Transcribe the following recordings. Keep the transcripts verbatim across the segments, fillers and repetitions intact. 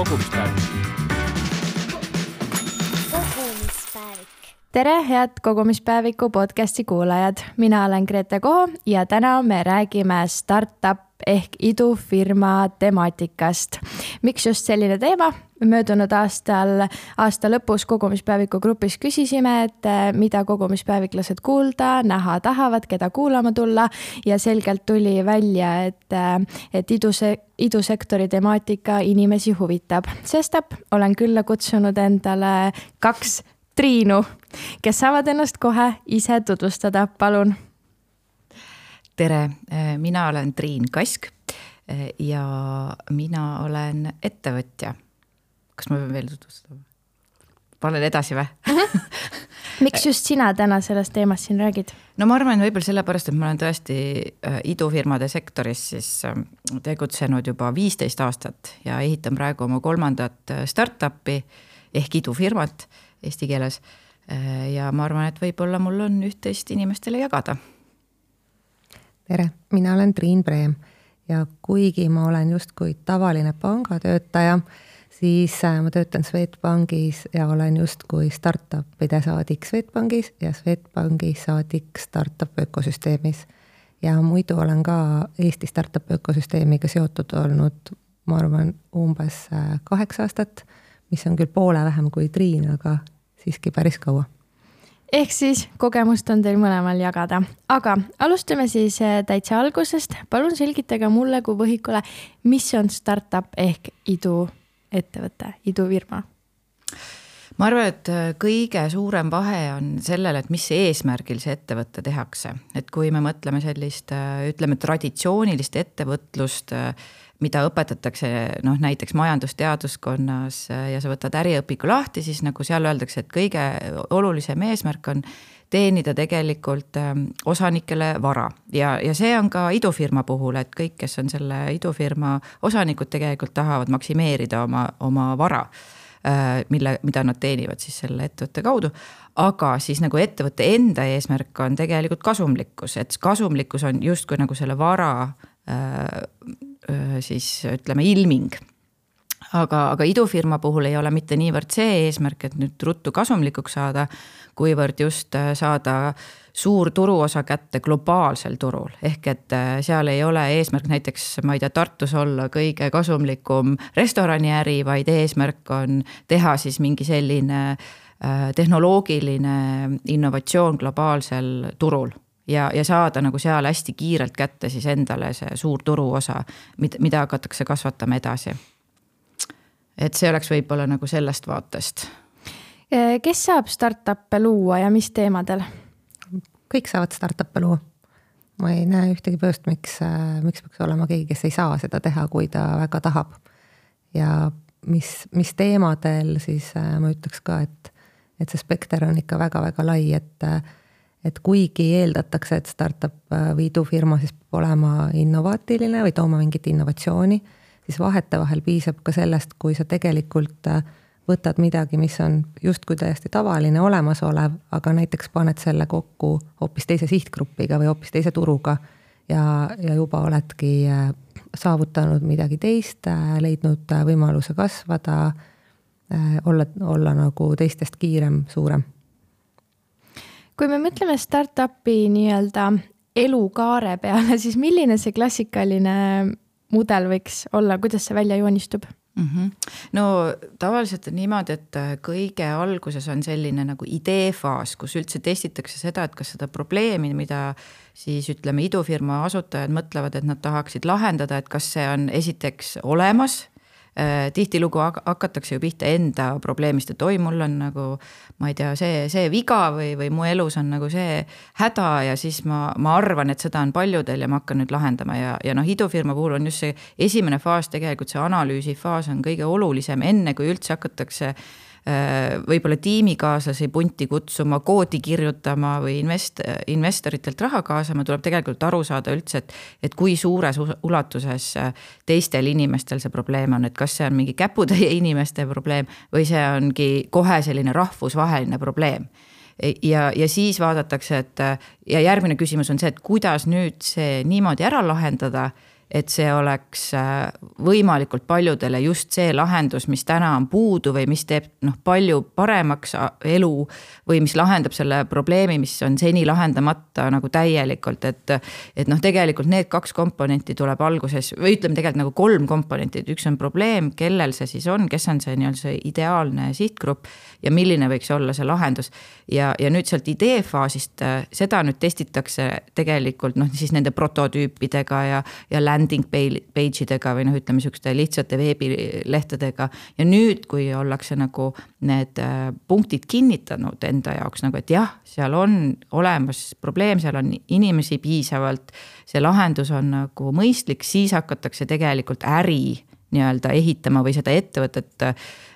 kogumispäevik. kogumispäevik. Tere, head kogumispäeviku podcasti kuulajad. Mina olen Grete Koho ja täna me räägime startup ehk idufirma temaatikast. Miks just selline teema? Möödunud aastal, aasta lõpus kogumispäeviku grupis küsisime, et mida kogumispäeviklased kuulda, näha tahavad, keda kuulama tulla ja selgelt tuli välja, et, et iduse, idusektori temaatika inimesi huvitab. Sestap olen külla kutsunud endale kaks Triinu, kes saavad ennast kohe ise tutvustada. Palun. Tere, mina olen Triin Kask ja mina olen ettevõtja. Kas ma pean veel tutvustada? Panen edasi või? Miks just sina täna sellest teemast siin räägid? No ma arvan võib-olla sellepärast, et ma olen tõesti idufirmade sektoris siis tegutsenud juba viisteist aastat ja ehitan praegu oma kolmandat startupi ehk idufirmat eesti keeles ja ma arvan, et võib-olla mul on üht-teist inimestele jagada. Tere, mina olen Triin Preem ja kuigi ma olen justkui tavaline pangatöötaja, siis ma töötan Swedbankis ja olen justkui startupide saadik Swedbankis ja Swedbanki saadik startup ökosüsteemis. Ja muidu olen ka Eesti startup ökosüsteemiga seotud olnud, ma arvan, umbes kaheksa aastat, mis on küll poole vähem kui Triin, aga siiski päris kaua. Ehk siis kogemust on teil mõlemal jagada. Aga alustame siis täitsa algusest. Palun selgitage mulle kui võhikule, mis on startup ehk idu ettevõte, idufirma? Ma arvan, et kõige suurem vahe on sellele, et mis eesmärgil see ettevõtte tehakse. Et kui me mõtleme sellist, ütleme, traditsioonilist ettevõtlust, mida õpetatakse noh, näiteks majandusteaduskonnas ja sa võtad äriõpiku lahti, siis nagu seal öeldakse, et kõige olulisem eesmärk on teenida tegelikult osanikele vara. Ja, ja see on ka idufirma puhul, et kõik, kes on selle idufirma osanikud, tegelikult tahavad maksimeerida oma, oma vara, mille, mida nad teenivad siis selle ettevõtte kaudu. Aga siis nagu ettevõtte enda eesmärk on tegelikult kasumlikkus, et kasumlikkus on justkui nagu selle vara siis ütleme ilming. Aga, aga idufirma puhul ei ole mitte niivõrd see eesmärk, et nüüd ruttu kasumlikuks saada, kuivõrd just saada suur turuosa kätte globaalsel turul. Ehk et seal ei ole eesmärk näiteks, ma ei tea, Tartus olla kõige kasumlikum restoraniäri, vaid eesmärk on teha siis mingi selline tehnoloogiline innovatsioon globaalsel turul. Ja, ja saada nagu seal hästi kiirelt kätte siis endale see suur turuosa, mida hakatakse kasvatama edasi. Et see oleks võib-olla nagu sellest vaatest. Kes saab startup'e luua ja mis teemadel? Kõik saavad startup'e luua. Ma ei näe ühtegi põhjust, miks, miks peaks olema keegi, kes ei saa seda teha, kui ta väga tahab. Ja mis, mis teemadel, siis ma ütleks ka, et, et see spekter on ikka väga-väga lai, et et kuigi eeldatakse, et startup või idufirma siis peab olema innovaatiline või tooma mingit innovatsiooni, siis vahete vahel piisab ka sellest, kui sa tegelikult võtad midagi, mis on justkui täiesti tavaline olemasolev, aga näiteks paned selle kokku hoopis teise sihtgrupiga või hoopis teise turuga ja, ja juba oledki saavutanud midagi teist, leidnud võimaluse kasvada, olla, olla nagu teistest kiirem, suurem. Kui me mõtleme startupi nii-öelda elukaare peale, siis milline see klassikaline mudel võiks olla, kuidas see välja joonistub? Mm-hmm. No tavaliselt on niimoodi, et kõige alguses on selline nagu ideefaas, kus üldse testitakse seda, et kas seda probleemi, mida siis ütleme idufirma asutajad mõtlevad, et nad tahaksid lahendada, et kas see on esiteks olemas. Tihtilugu hakatakse ju pihta enda probleemist, et oi, mul on nagu, ma ei tea, see, see viga või, või mu elus on nagu see häda ja siis ma, ma arvan, et seda on paljudel ja ma hakkan nüüd lahendama ja, ja noh, idufirma puhul on just see esimene faas, tegelikult see analüüsi faas on kõige olulisem, enne kui üldse hakatakse võib-olla tiimikaaslasi punti kutsuma, koodi kirjutama või invest, investoritelt raha kaasama, tuleb tegelikult aru saada üldse, et, et kui suures ulatuses teistel inimestel see probleem on, et kas see on mingi käputäie inimeste probleem või see ongi kohe selline rahvusvaheline probleem. Ja, ja siis vaadatakse, et ja järgmine küsimus on see, et kuidas nüüd see niimoodi ära lahendada, et see oleks võimalikult paljudele just see lahendus, mis täna on puudu või mis teeb noh, palju paremaks elu või mis lahendab selle probleemi, mis on seni lahendamata nagu täielikult, et, et noh, tegelikult need kaks komponenti tuleb alguses või ütleme tegelikult nagu kolm komponenti, üks on probleem, kellel see siis on, kes on see nii-öelda see ideaalne sihtgrupp ja milline võiks olla see lahendus ja, ja nüüd sealt ideefaasist seda nüüd testitakse tegelikult noh, siis nende prototüüpidega ja, ja landing page idega või noh, ütleme niisuguste lihtsate veebilehtedega ja nüüd, kui ollakse nagu need punktid kinnitanud enda jaoks nagu, et jah, seal on olemas probleem, seal on inimesi piisavalt, see lahendus on nagu mõistlik, siis hakatakse tegelikult äri nii-öelda ehitama või seda ettevõtet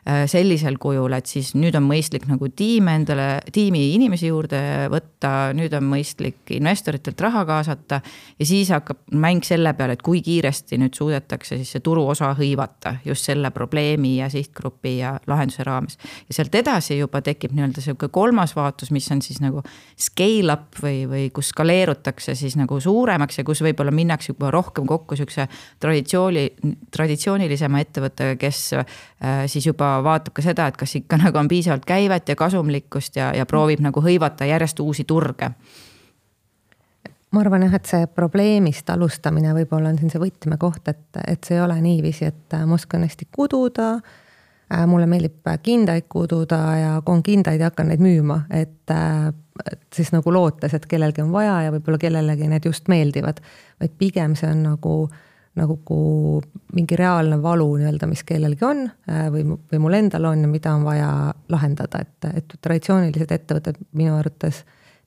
sellisel kujul, et siis nüüd on mõistlik nagu tiim endale, tiimi inimesi juurde võtta, nüüd on mõistlik investoritelt raha kaasata ja siis hakkab mäng selle peale, et kui kiiresti nüüd suudetakse siis see turu osa hõivata just selle probleemi ja sihtgrupi ja lahenduse raames. Ja sealt edasi juba tekib nii-öelda selline kolmas vaatus, mis on siis nagu scale up või, või kus skaleerutakse siis nagu suuremaks ja kus võib-olla minnakse juba rohkem kokku selline traditsiooni, traditsioonilisema ettevõttega, kes siis juba vaatab ka seda, et kas ikka nagu on piisavalt käivet ja kasumlikkust ja, ja proovib nagu hõivata järjest uusi turge. Ma arvan jah, et see probleemist alustamine võib-olla on siin see võtmekoht, et, et see ei ole niiviisi, et ma oskan hästi kududa, mulle meeldib kindaid kududa ja kui on kindaid ja hakkan neid müüma, et, et siis nagu lootes, et kellelgi on vaja ja võib-olla kellelegi need just meeldivad, vaid pigem see on nagu nagu mingi reaalne valu nii-öelda, mis kellelgi on või, või mul endal on ja mida on vaja lahendada, et, et traditsioonilised ettevõtted minu arvates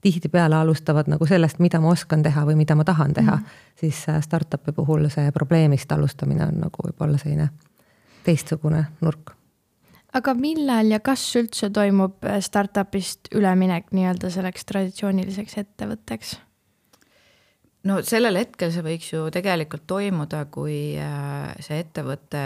tihti peale alustavad nagu sellest, mida ma oskan teha või mida ma tahan teha, mm. siis startup'i puhul see probleemist alustamine on nagu võib-olla selline teistsugune nurk. Aga millal ja kas üldse toimub startupist üleminek nii-öelda selleks traditsiooniliseks ettevõtteks? No sellel hetkel see võiks ju tegelikult toimuda, kui see ettevõte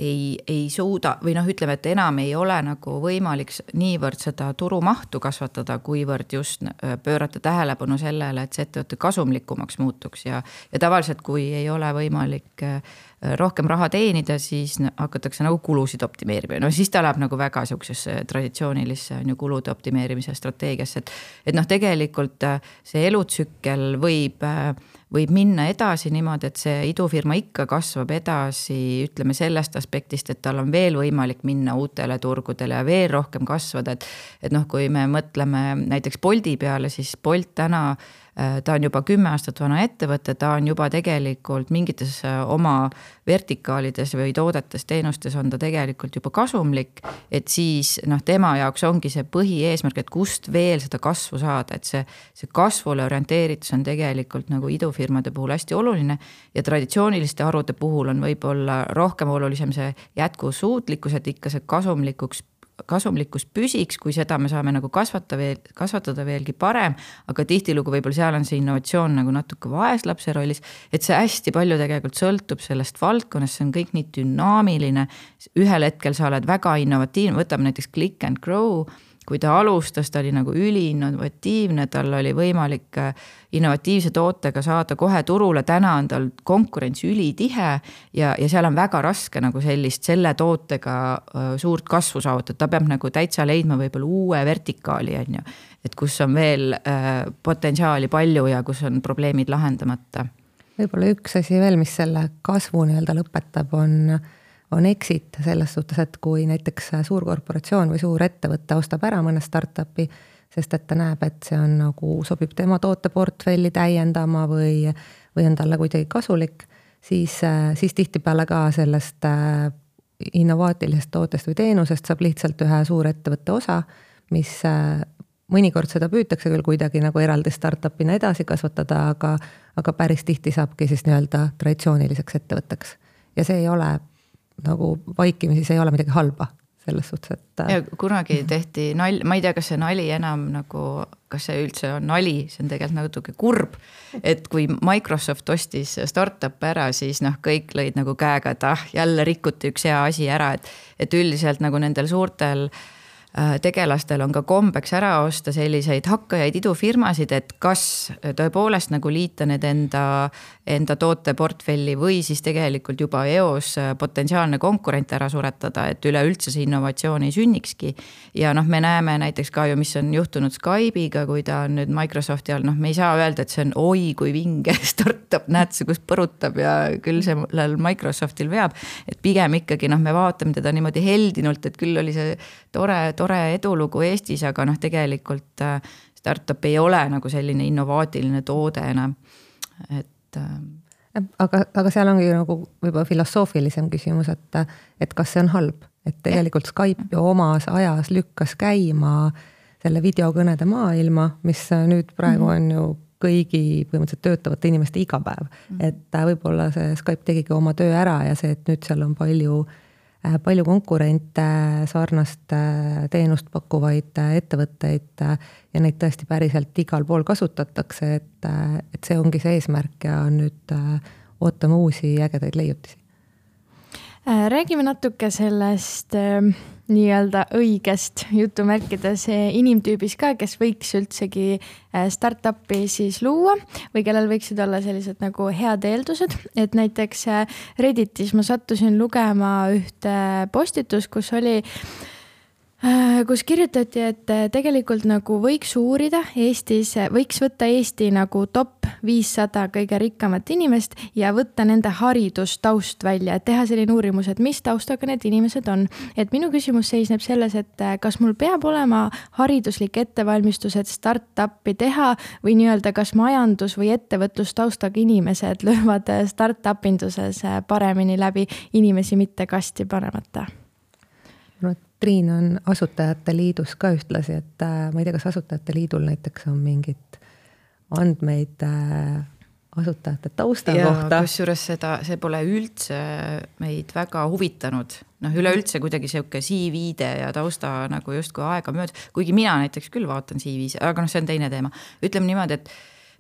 ei, ei suuda või noh, ütleme, et enam ei ole nagu võimalik niivõrd seda turumahtu kasvatada, kuivõrd just pöörata tähelepanu sellele, et see ettevõte kasumlikumaks muutuks ja, ja tavaliselt, kui ei ole võimalik rohkem raha teenida, siis hakatakse nagu kulusid optimeerima. No siis ta läheb nagu väga sellisesse traditsioonilisse on ju kulude optimeerimise strateegiasse, et, et noh, tegelikult see elutsükkel võib, võib minna edasi niimoodi, et see idufirma ikka kasvab edasi, ütleme sellest aspektist, et tal on veel võimalik minna uutele turgudele ja veel rohkem kasvada, et, et noh, kui me mõtleme näiteks Bolti peale, siis Bolt täna ta on juba kümme aastat vana ettevõte, ta on juba tegelikult mingites oma vertikaalides või toodetes, teenustes on ta tegelikult juba kasumlik, et siis noh, tema jaoks ongi see põhieesmärk, et kust veel seda kasvu saada, et see, see kasvule orienteeritus on tegelikult nagu idufirmade puhul hästi oluline ja traditsiooniliste harude puhul on võib-olla rohkem olulisem see jätkusuutlikkus, et ikka see kasumlikuks kasumlikkus püsiks, kui seda me saame nagu kasvatada, veel, kasvatada veelgi parem, aga tihtilugu võib-olla seal on see innovatsioon nagu natuke vaeslapse rollis, et see hästi palju tegelikult sõltub sellest valdkonnast, see on kõik nii dünaamiline, ühel hetkel sa oled väga innovatiivne, võtame näiteks Click and Grow, kui ta alustas, ta oli nagu üli innovatiivne, tal oli võimalik innovatiivse tootega saada kohe turule, täna on tal konkurents ülitihe ja, ja seal on väga raske nagu sellist selle tootega suurt kasvu saavutada, ta peab nagu täitsa leidma võib-olla uue vertikaali, on ju, et kus on veel potentsiaali palju ja kus on probleemid lahendamata. Võib-olla üks asi veel, mis selle kasvu nii-öelda lõpetab, on on exit selles suhtes, et kui näiteks suur korporatsioon või suur ettevõtte ostab ära mõne startupi, sest et ta näeb, et see on nagu sobib tema tooteportfelli täiendama või, või on talle kuidagi kasulik, siis, siis tihtipeale ka sellest innovaatilisest tootest või teenusest saab lihtsalt ühe suur ettevõtte osa, mis mõnikord seda püütakse küll kuidagi nagu eraldi startupina edasi kasvatada, aga, aga päris tihti saabki siis nii-öelda traditsiooniliseks ettevõtteks. Ja see ei ole nagu vaikimisi, see ei ole midagi halba selles suhtes, et ja kunagi tehti nal-, ma ei tea, kas see nali enam nagu, kas see üldse on nali, see on tegelikult natuke kurb, et kui Microsoft ostis startup ära, siis noh, kõik lõid nagu käega, et ah, jälle rikuti üks hea asi ära, et, et üldiselt nagu nendel suurtel tegelastel on ka kombeks ära osta selliseid hakkajaid idufirmasid, et kas tõepoolest nagu liita need enda, enda tooteportfelli või siis tegelikult juba eos potentsiaalne konkurent ära suretada, et üleüldse see innovatsioon ei sünnikski. Ja noh, me näeme näiteks ka ju, mis on juhtunud Skype'iga, kui ta on nüüd Microsofti all, noh, me ei saa öelda, et see on oi kui vinge startup, näed see, kus põrutab ja küll sellel Microsoftil veab, et pigem ikkagi noh, me vaatame teda niimoodi heldinult, et küll oli see tore, tore edulugu Eestis, aga noh, tegelikult startup ei ole nagu selline innovaatiline toode enam, et aga, aga seal ongi nagu võib-olla filosoofilisem küsimus, et, et kas see on halb, et tegelikult Skype ju omas ajas lükkas käima selle videokõnede maailma, mis nüüd praegu on ju kõigi põhimõtteliselt töötavate inimeste iga päev. Et võib-olla see Skype tegigi oma töö ära ja see, et nüüd seal on palju palju konkurente, sarnast teenust pakkuvaid ettevõtteid ja neid tõesti päriselt igal pool kasutatakse, et, et see ongi see eesmärk ja nüüd ootame uusi ägedaid leiutisi. Räägime natuke sellest nii-öelda õigest jutumärkides inimtüübis ka, kes võiks üldsegi startupi siis luua või kellel võiksid olla sellised nagu head eeldused, et näiteks Redditis ma sattusin lugema ühte postitus, kus oli kus kirjutati, et tegelikult nagu võiks uurida Eestis, võiks võtta Eesti nagu top viissada kõige rikkamat inimest ja võtta nende haridustaust välja, et teha selline uurimus, et mis taustaga need inimesed on. Et minu küsimus seisneb selles, et kas mul peab olema hariduslik ettevalmistus, et startupi teha või nii-öelda kas majandus- või ettevõtlustaustaga inimesed löövad startup-induses paremini läbi inimesi mitte kasti panemata? No, Triin on Asutajate Liidus ka ühtlasi, et ma ei tea, kas Asutajate Liidul näiteks on mingid andmeid asutajate tausta ja, kohta. Kusjuures seda, see pole üldse meid väga huvitanud. Noh, üleüldse kuidagi siuke C V-de ja tausta nagu justkui aega mööda, kuigi mina näiteks küll vaatan C V-s, aga noh, see on teine teema. Ütleme niimoodi, et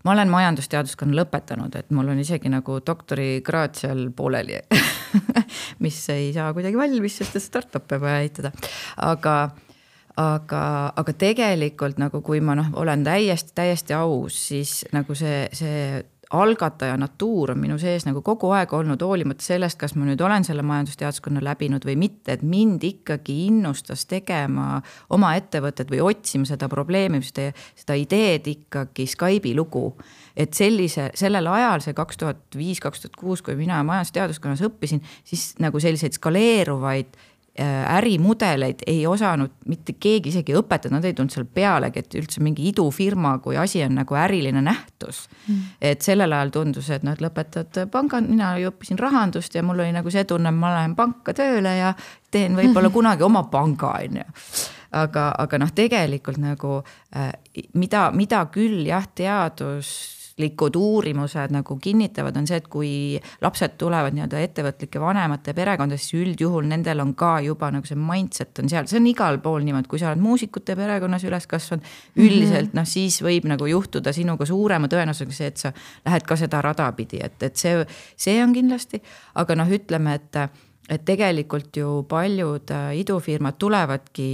ma olen majandusteaduskonna lõpetanud, et mul on isegi nagu doktorikraad seal pooleli, mis ei saa kuidagi valmis, sest startup'e vaja ehitada. Aga, aga, aga tegelikult nagu kui ma noh, olen täiesti, täiesti aus, siis nagu see, see algataja natuur on minu sees nagu kogu aeg olnud hoolimata sellest, kas ma nüüd olen selle majandusteaduskonna läbinud või mitte, et mind ikkagi innustas tegema oma ettevõtet või otsima seda probleemi, seda, seda ideed ikkagi Skype'i lugu. Et sellise, sellel ajal, see kaks tuhat viis kaks tuhat kuus, kui mina majandusteaduskonnas õppisin, siis nagu selliseid skaleeruvaid ärimudeleid ei osanud mitte keegi isegi õpetada, nad ei tulnud seal pealegi, et üldse mingi idufirma, kui asi on nagu äriline nähtus. Mm. Et sellel ajal tundus, et nad lõpetad pangad, mina õppisin rahandust ja mul oli nagu see tunne, ma lähen panka tööle ja teen võib-olla kunagi oma panga. Aga, aga noh, tegelikult nagu mida, mida küll jah, teadus likud uurimused nagu kinnitavad, on see, et kui lapsed tulevad nii-öelda ettevõtlike vanemate perekondades, siis üldjuhul nendel on ka juba nagu see mindset on seal, see on igal pool niimoodi, kui sa oled muusikute perekonnas üles kasvanud, üldiselt noh, siis võib nagu juhtuda sinuga suurema tõenäosusega see, et sa lähed ka seda rada pidi, et, et see, see on kindlasti, aga noh, ütleme, et et tegelikult ju paljud idufirmad tulevadki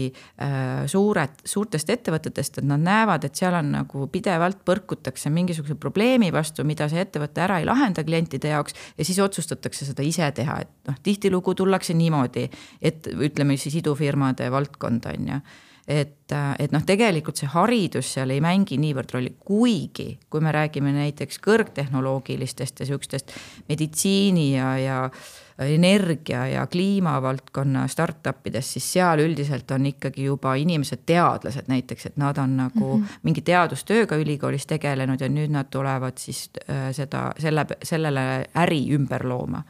suured, suurtest ettevõtetest, et nad näevad, et seal on nagu pidevalt põrkutakse mingisuguse probleemi vastu, mida see ettevõte ära ei lahenda klientide jaoks ja siis otsustatakse seda ise teha, et noh, tihtilugu tullakse niimoodi, et ütleme siis idufirmade valdkonda on ja et, et noh, tegelikult see haridus seal ei mängi niivõrd rolli, kuigi kui me räägime näiteks kõrgtehnoloogilistest ja sihukestest meditsiini ja, ja energia ja kliimavaldkonna startupidest, siis seal üldiselt on ikkagi juba inimesed teadlased näiteks, et nad on nagu mm-hmm. mingi teadustööga ülikoolis tegelenud ja nüüd nad tulevad siis seda, selle, sellele äri ümber looma.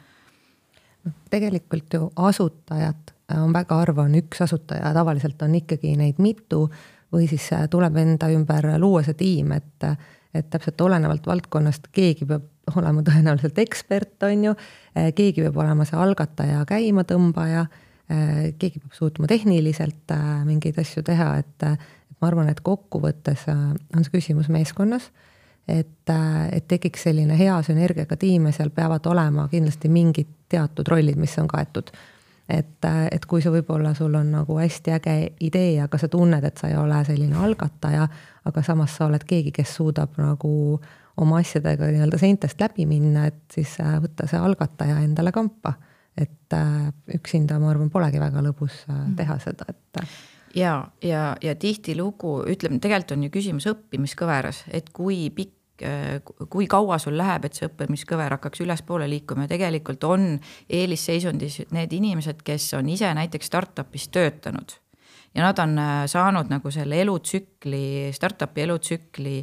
Tegelikult ju asutajad on väga harva, on üks asutaja, tavaliselt on ikkagi neid mitu või siis tuleb enda ümber luua see tiim, et, et täpselt olenevalt valdkonnast keegi peab olema tõenäoliselt ekspert, on ju, keegi peab olema see algataja käima tõmbaja, keegi peab suutma tehniliselt mingeid asju teha, et, et ma arvan, et kokkuvõttes on see küsimus meeskonnas, et, et tekiks selline hea sünergiaga tiim ja seal peavad olema kindlasti mingid teatud rollid, mis on kaetud. et, et kui see võib-olla sul on nagu hästi äge idee, aga sa tunned, et sa ei ole selline algataja, aga samas sa oled keegi, kes suudab nagu oma asjadega nii-öelda seintest läbi minna, et siis võtta see algataja endale kampa. Et üksinda, ma arvan, polegi väga lõbus teha seda, et ja, ja, ja tihti lugu, ütleme, tegelikult on ju küsimus õppimiskõveras, et kui pikk, kui kaua sul läheb, et see õppimiskõver hakkaks ülespoole liikuma ja tegelikult on eelisseisundis need inimesed, kes on ise näiteks startupis töötanud ja nad on saanud nagu selle elutsükli, startupi elutsükli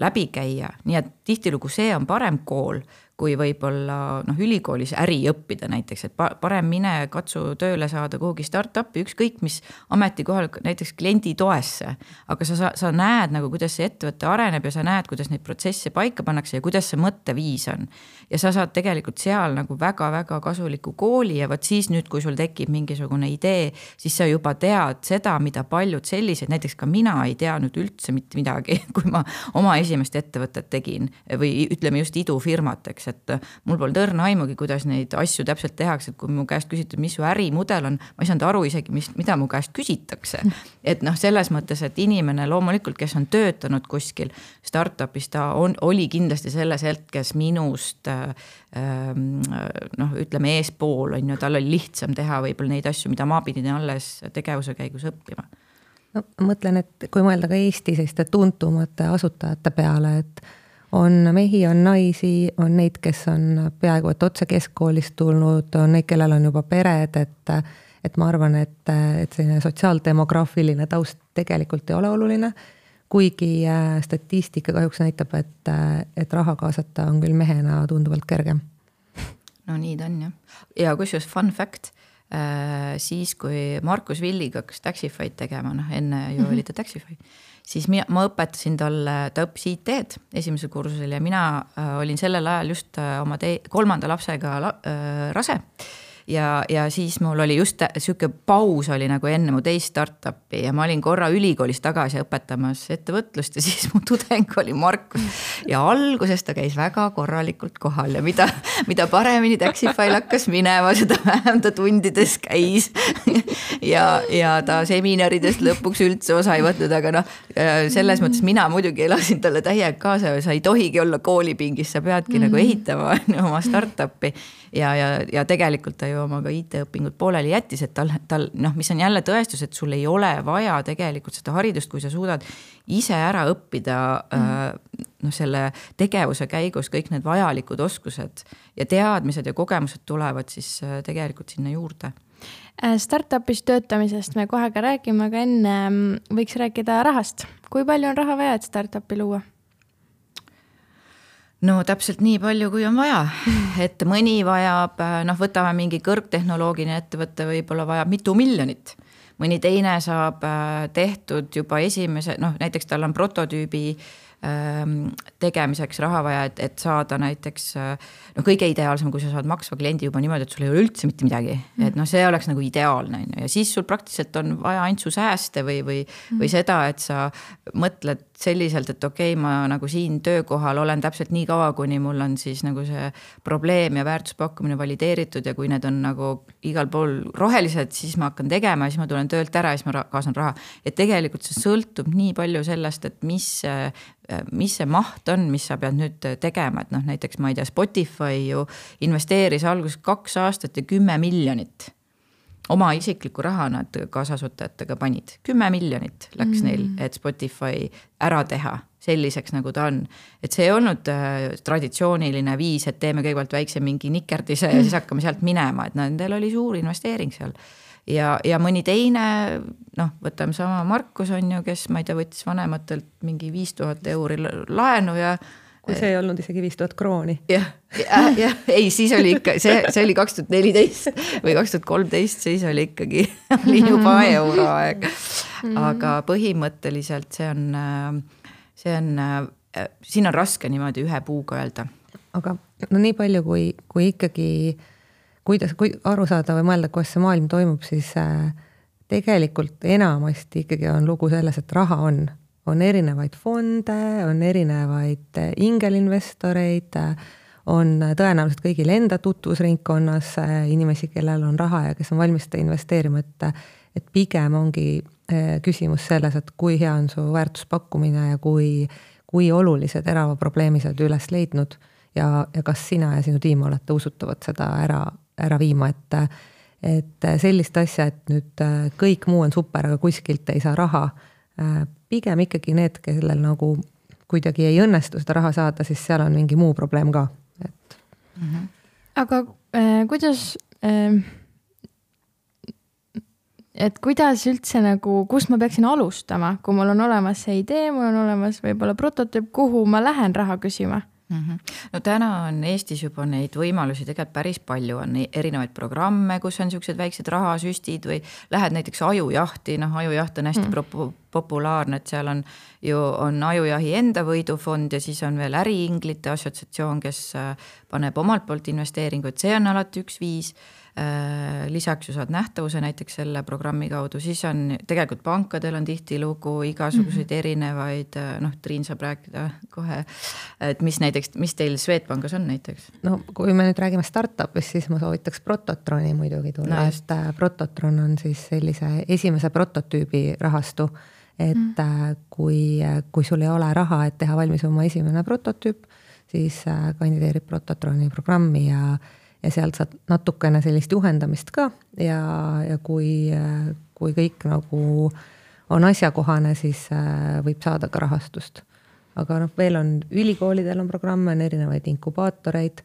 läbi käia, nii et tihtilugu see on parem kool, kui võib-olla noh, ülikoolis äri õppida näiteks, et parem mine katsu tööle saada kuhugi startupi, ükskõik mis ametikohal, näiteks kliendi toesse, aga sa, sa näed nagu, kuidas see ettevõte areneb ja sa näed, kuidas neid protsesse paika pannakse ja kuidas see mõtteviis on. Ja sa saad tegelikult seal nagu väga-väga kasuliku kooli ja võt siis nüüd, kui sul tekib mingisugune idee, siis sa juba tead seda, mida paljud sellised, näiteks ka mina ei teadnud üldse mitte midagi, kui ma oma esimest ettevõtet tegin või ütleme just idufirmat, eks, et mul polnud õrna aimugi, kuidas neid asju täpselt tehakse, et kui mu käest küsitud, mis su ärimudel on, ma ei saanud aru isegi, mis, mida mu käest küsitakse. Et noh, selles mõttes, et inimene loomulikult, kes on töötanud kuskil startupis, ta on, oli kindlasti selles hetkes minust noh, ütleme eespool, on ju, tal oli lihtsam teha võib-olla neid asju, mida ma pidin alles tegevuse käigus õppima. No, mõtlen, et kui mõelda ka Eesti selliste tuntumate asutajate peale, et on mehi, on naisi, on neid, kes on peaaegu et otse keskkoolist tulnud, on neid, kellel on juba pered, et, et ma arvan, et, et selline sotsiaaldemograafiline taust tegelikult ei ole oluline, kuigi statistika kahjuks näitab, et, et raha kaasata on küll mehena tunduvalt kergem. No nii ta on, jah. Ja kusjuures fun fact, siis kui Markus Villiga hakkas Taxify'd tegema, noh enne ju oli ta Taxify, siis mina, ma õpetasin talle, ta õppis I T-d esimesel kursusel ja mina olin sellel ajal just oma te, kolmanda lapsega la, äh, rase. Ja, ja siis mul oli just siuke paus oli nagu enne mu teist startupi ja ma olin korra ülikoolis tagasi õpetamas ettevõtlust ja siis mu tudeng oli Markus ja alguses ta käis väga korralikult kohal ja mida, mida paremini Taxify'l hakkas minema, seda vähem ta tundides käis ja, ja ta seminaridest lõpuks üldse osa ei võtnud, aga noh, selles mõttes mina muidugi elasin talle täiega kaasa ja sa ei tohigi olla koolipingis, sa peadki mm. nagu ehitama oma startupi ja, ja, ja tegelikult ta ju oma ka I T-õpingud pooleli jättis, et tal, tal, noh, mis on jälle tõestus, et sul ei ole vaja tegelikult seda haridust, kui sa suudad ise ära õppida mm. noh, selle tegevuse käigus kõik need vajalikud oskused ja teadmised ja kogemused tulevad siis tegelikult sinna juurde. Startupis töötamisest me kohe ka räägime, aga enne võiks rääkida rahast. Kui palju on raha vaja, et startupi luua? No täpselt nii palju, kui on vaja, et mõni vajab, noh võtame mingi kõrgtehnoloogiline ettevõtte, võib-olla vajab mitu miljonit. Mõni teine saab tehtud juba esimese, noh näiteks tal on prototüübi tegemiseks raha vaja, et, et saada näiteks, no kõige ideaalsem, kui sa saad maksva kliendi juba niimoodi, et sul ei ole üldse mitte midagi, et noh, see oleks nagu ideaalne ja siis sul praktiliselt on vaja ainult su sääste või, või, või seda, et sa mõtled selliselt, et okei, okay, ma nagu siin töökohal olen täpselt nii kaua, kuni mul on siis nagu see probleem ja väärtuspakkumine valideeritud ja kui need on nagu igal pool rohelised, siis ma hakkan tegema ja siis ma tulen töölt ära ja siis ma kaasan raha. Et tegelikult see sõltub nii palju sellest, et mis mis see maht on, mis sa pead nüüd tegema, et noh, näiteks ma ei tea, Spotify ju investeeris alguses kaks aastat ja kümme miljonit. Oma isikliku raha nad kaasasutajatega panid. Kümme miljonit läks mm. neil, et Spotify ära teha selliseks, nagu ta on. Et see ei olnud traditsiooniline viis, et teeme kõigepealt väikse mingi nikerdise ja siis hakkame sealt minema, et nendel oli suur investeering seal. Ja, ja mõni teine, noh, võtame sama Markus on ju, kes ma ei tea, võttis vanematelt mingi viis tuhat euri laenu ja kui see ei olnud isegi viis tuhat krooni. Jah, jah, ja, ei, siis oli ikka, see, see oli kaks tuhat neliteist või kaks tuhat kolmteist, siis oli ikkagi oli juba euroaeg. Aga põhimõtteliselt see on, see on, siin on raske niimoodi ühe puuga öelda. Aga no nii palju, kui, kui ikkagi kuidas, kui aru saada või mõelda, kuidas see maailm toimub, siis tegelikult enamasti ikkagi on lugu selles, et raha on. On erinevaid fonde, on erinevaid ingelinvestoreid, on tõenäoliselt kõigil enda tutvusringkonnas inimesi, kellel on raha ja kes on valmis seda investeerima, et, et pigem ongi küsimus selles, et kui hea on su väärtuspakkumine ja kui, kui olulised terava probleemi sa oled üles leidnud ja, ja kas sina ja sinu tiim olete usutavad seda ära, ära viima, et, et sellist asja, et nüüd kõik muu on super, aga kuskilt ei saa raha, pigem ikkagi need, kellel nagu kuidagi ei õnnestu seda raha saada, siis seal on mingi muu probleem ka. Et... Mm-hmm. Aga äh, kuidas, äh, et kuidas üldse nagu, kus ma peaksin alustama, kui mul on olemas see idee, mul on olemas võib-olla prototüüp, kuhu ma lähen raha küsima? Mm-hmm. No täna on Eestis juba neid võimalusi tegelikult päris palju, on erinevaid programme, kus on niisugused väiksed rahasüstid või lähed näiteks ajujahti, noh ajujaht on hästi mm. populaarne, et seal on ju on ajujahi enda võidufond ja siis on veel äriinglite assotsiatsioon, kes paneb omalt poolt investeeringuid, see on alati üks viis. Lisaks ju saad nähtavuse näiteks selle programmi kaudu, siis on tegelikult pankadel on tihti lugu igasuguseid mm-hmm. erinevaid, noh Triin saab rääkida kohe, et mis näiteks, mis teil Swedbankis on näiteks? No kui me nüüd räägime startupist, siis ma soovitaks Prototroni muidugi tulla, no, et Prototron on siis sellise esimese prototüübi rahastu, et mm. kui, kui sul ei ole raha, et teha valmis oma esimene prototüüp, siis kandideerib Prototroni programmi ja ja sealt saad natukene sellist juhendamist ka ja, ja kui, kui kõik nagu on asjakohane, siis võib saada ka rahastust. Aga noh, veel on ülikoolidel on programme, on erinevaid inkubaatoreid,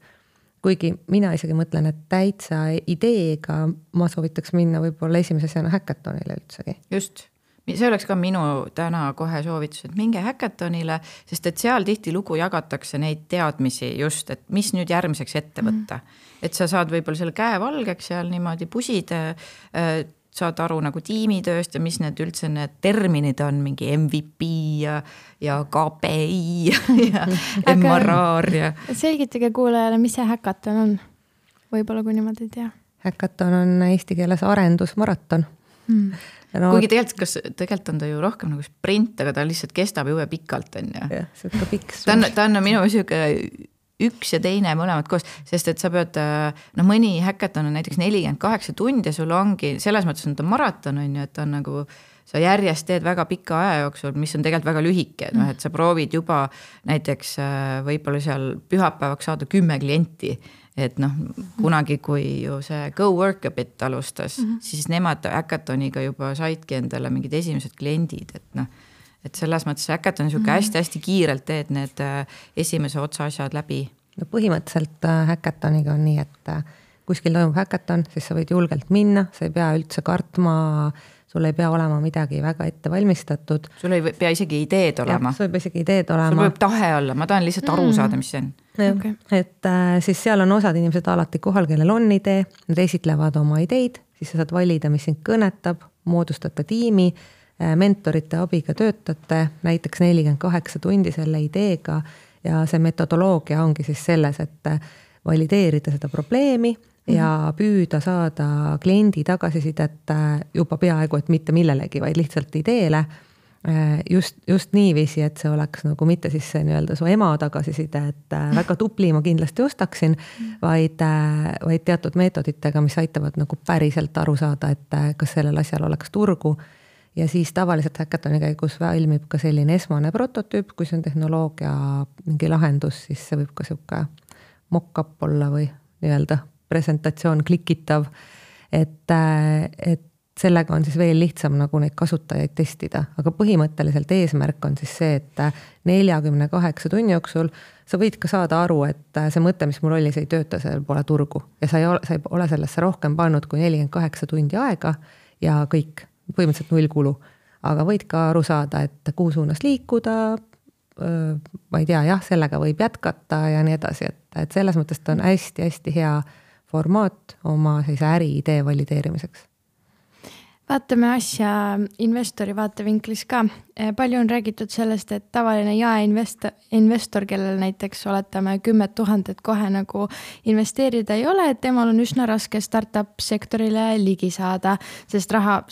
kuigi mina isegi mõtlen, et täitsa ideega ma soovitaks minna võib-olla esimese asjana häkatonile üldsegi. Just. See oleks ka minu täna kohe soovitus, et minge häkatonile, sest et seal tihti lugu jagatakse neid teadmisi just, et mis nüüd järgmiseks ette võtta. Mm. Et sa saad võib-olla selle käe valgeks seal niimoodi pusid, saad aru nagu tiimitööst ja mis need üldse need terminid on, mingi M V P ja, ja K P I ja M R R. Ja... Selgitage kuulajale, mis see häkaton on? Võib-olla kui niimoodi ei tea. Häkaton on eesti keeles arendusmaraton. Hmm. No, kuigi tegelikult, kas, tegelikult on ta ju rohkem nagu sprint, aga ta lihtsalt kestab jube pikalt. On ju. Ja, see on ka pikk. Ta on, ta on minu siuke üks ja teine mõlemad koos, sest et sa pead, no mõni häkaton on näiteks nelikümmend kaheksa tundi ja sul ongi, selles mõttes on ta maraton, on ju, et ta on nagu, sa järjest teed väga pika aja jooksul, mis on tegelikult väga lühike, mm. et sa proovid juba näiteks võib-olla seal pühapäevaks saada kümme klienti, et noh, kunagi kui ju see Go Work a Bit alustas, mm-hmm. siis nemad häkatoniga juba saidki endale mingid esimesed kliendid, et noh, et selles mõttes häkaton niisugune mm-hmm. hästi-hästi kiirelt teed need esimese otsa asjad läbi. No põhimõtteliselt häkatoniga on nii, et kuskil toimub häkaton, siis sa võid julgelt minna, sa ei pea üldse kartma, sul ei pea olema midagi väga ette valmistatud. Sul ei pea isegi ideed olema. Ja, sul võib isegi ideed olema. Sul võib tahe olla, ma tahan lihtsalt aru saada, mis see on. Okay. Et äh, siis seal on osad inimesed alati kohal, kellel on idee, nad esitlevad oma ideid, siis sa saad valida, mis sind kõnetab, moodustada tiimi, äh, mentorite abiga töötate, näiteks nelikümmend kaheksa tundi selle ideega ja see metodoloogia ongi siis selles, et valideerida seda probleemi ja püüda saada kliendi tagasisidet juba peaaegu, et mitte millelegi, vaid lihtsalt ideele. Just, just niiviisi, et see oleks nagu mitte siis see nii-öelda su ema tagasiside, et väga tupli ma kindlasti ostaksin, vaid, vaid teatud meetoditega, mis aitavad nagu päriselt aru saada, et kas sellel asjal oleks turgu. Ja siis tavaliselt häkatoni käigus ilmib ka selline esmane prototüüp, kui see on tehnoloogia mingi lahendus, siis see võib ka siuke mock-up olla või nii-öelda presentatsioon klikitav, et, et sellega on siis veel lihtsam nagu neid kasutajaid testida, aga põhimõtteliselt eesmärk on siis see, et neljakümne kaheksa tunni jooksul sa võid ka saada aru, et see mõte, mis mul oli, see ei tööta, seal pole turgu ja sa ei ole, sa ei ole sellesse rohkem pannud kui nelikümmend kaheksa tundi aega ja kõik, põhimõtteliselt null kulu, aga võid ka aru saada, et kuhu suunas liikuda, ma ei tea, jah, sellega võib jätkata ja nii edasi, et, et selles mõttes ta on hästi-hästi hea formaat oma sellise äri idee valideerimiseks. Vaatame asja investori vaatevinklis ka. Palju on räägitud sellest, et tavaline jaeinvestor, investor, kellel näiteks oletame kümmet tuhandet kohe nagu investeerida ei ole, et temal on üsna raske startup sektorile ligi saada, sest raha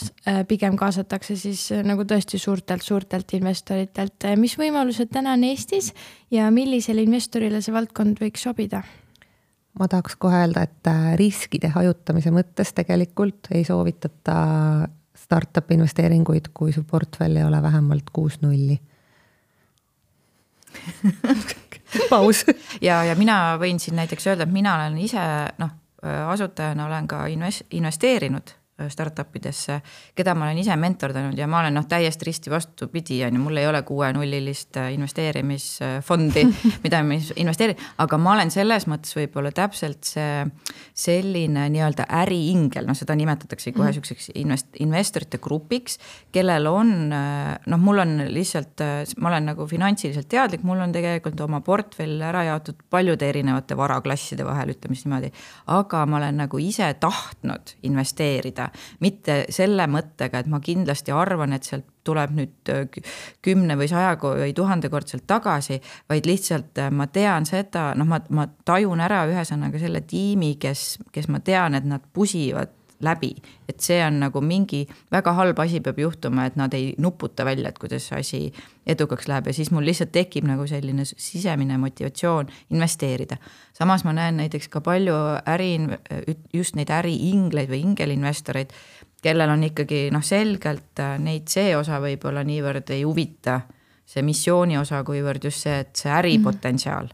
pigem kaasatakse siis nagu tõesti suurtelt, suurtelt investoritelt. Mis võimalused täna on Eestis ja millisele investorile see valdkond võiks sobida? Ma tahaks kohe öelda, et riskide hajutamise mõttes tegelikult ei soovitata startup investeeringuid, kui su portfell ei ole vähemalt kuus nulli. Paus. ja, ja mina võin siin näiteks öelda, et mina olen ise, noh, asutajana olen ka investeerinud startupidesse, keda ma olen ise mentordanud ja ma olen noh, täiesti risti vastupidi, ja mul ei ole kuue nullilist investeerimisfondi, mida ma investeerin, aga ma olen selles mõttes võib-olla täpselt see selline nii-öelda äriingel, noh seda nimetatakse kohe selliseks invest- investorite grupiks, kellel on, noh mul on lihtsalt, ma olen nagu finantsiliselt teadlik, mul on tegelikult oma portfell ära jaotud paljude erinevate varaklasside vahel, ütleme niimoodi, aga ma olen nagu ise tahtnud investeerida, mitte selle mõttega, et ma kindlasti arvan, et sealt tuleb nüüd kümne või saja või tuhandekordselt tagasi, vaid lihtsalt ma tean seda, noh ma, ma tajun ära ühesõnaga selle tiimi, kes, kes ma tean, et nad pusivad läbi, et see on nagu mingi väga halb asi peab juhtuma, et nad ei nuputa välja, et kuidas see asi edukaks läheb ja siis mul lihtsalt tekib nagu selline sisemine motivatsioon investeerida. Samas ma näen näiteks ka palju äri, just neid äriingleid või ingelinvestoreid, kellel on ikkagi noh, selgelt neid see osa võib-olla niivõrd ei huvita, see missiooni osa, kuivõrd just see, et see äripotentsiaal.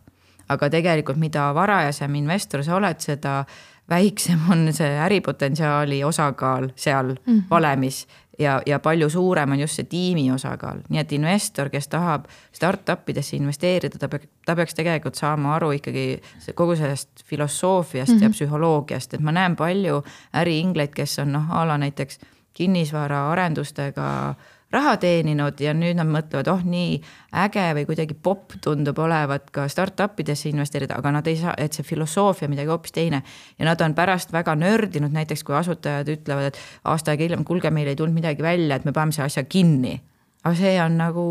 Aga tegelikult mida varajasem investor sa oled, seda väiksem on see äripotentsiaali osakaal seal mm-hmm. valemis ja, ja palju suurem on just see tiimi osakaal. Nii et investor, kes tahab startupidesse investeerida, ta, pe- ta peaks tegelikult saama aru ikkagi kogu sellest filosoofiast mm-hmm. ja psühholoogiast, et ma näen palju äriingleid, kes on noh, ala näiteks kinnisvara arendustega raha teeninud ja nüüd nad mõtlevad, oh nii äge või kuidagi pop tundub olevat ka startupidesse investeerida, aga nad ei saa, et see filosoofia midagi hoopis teine. Ja nad on pärast väga nördinud, näiteks kui asutajad ütlevad, et aasta aega hiljem, kuulge, meil ei tulnud midagi välja, et me paneme see asja kinni. Aga see on nagu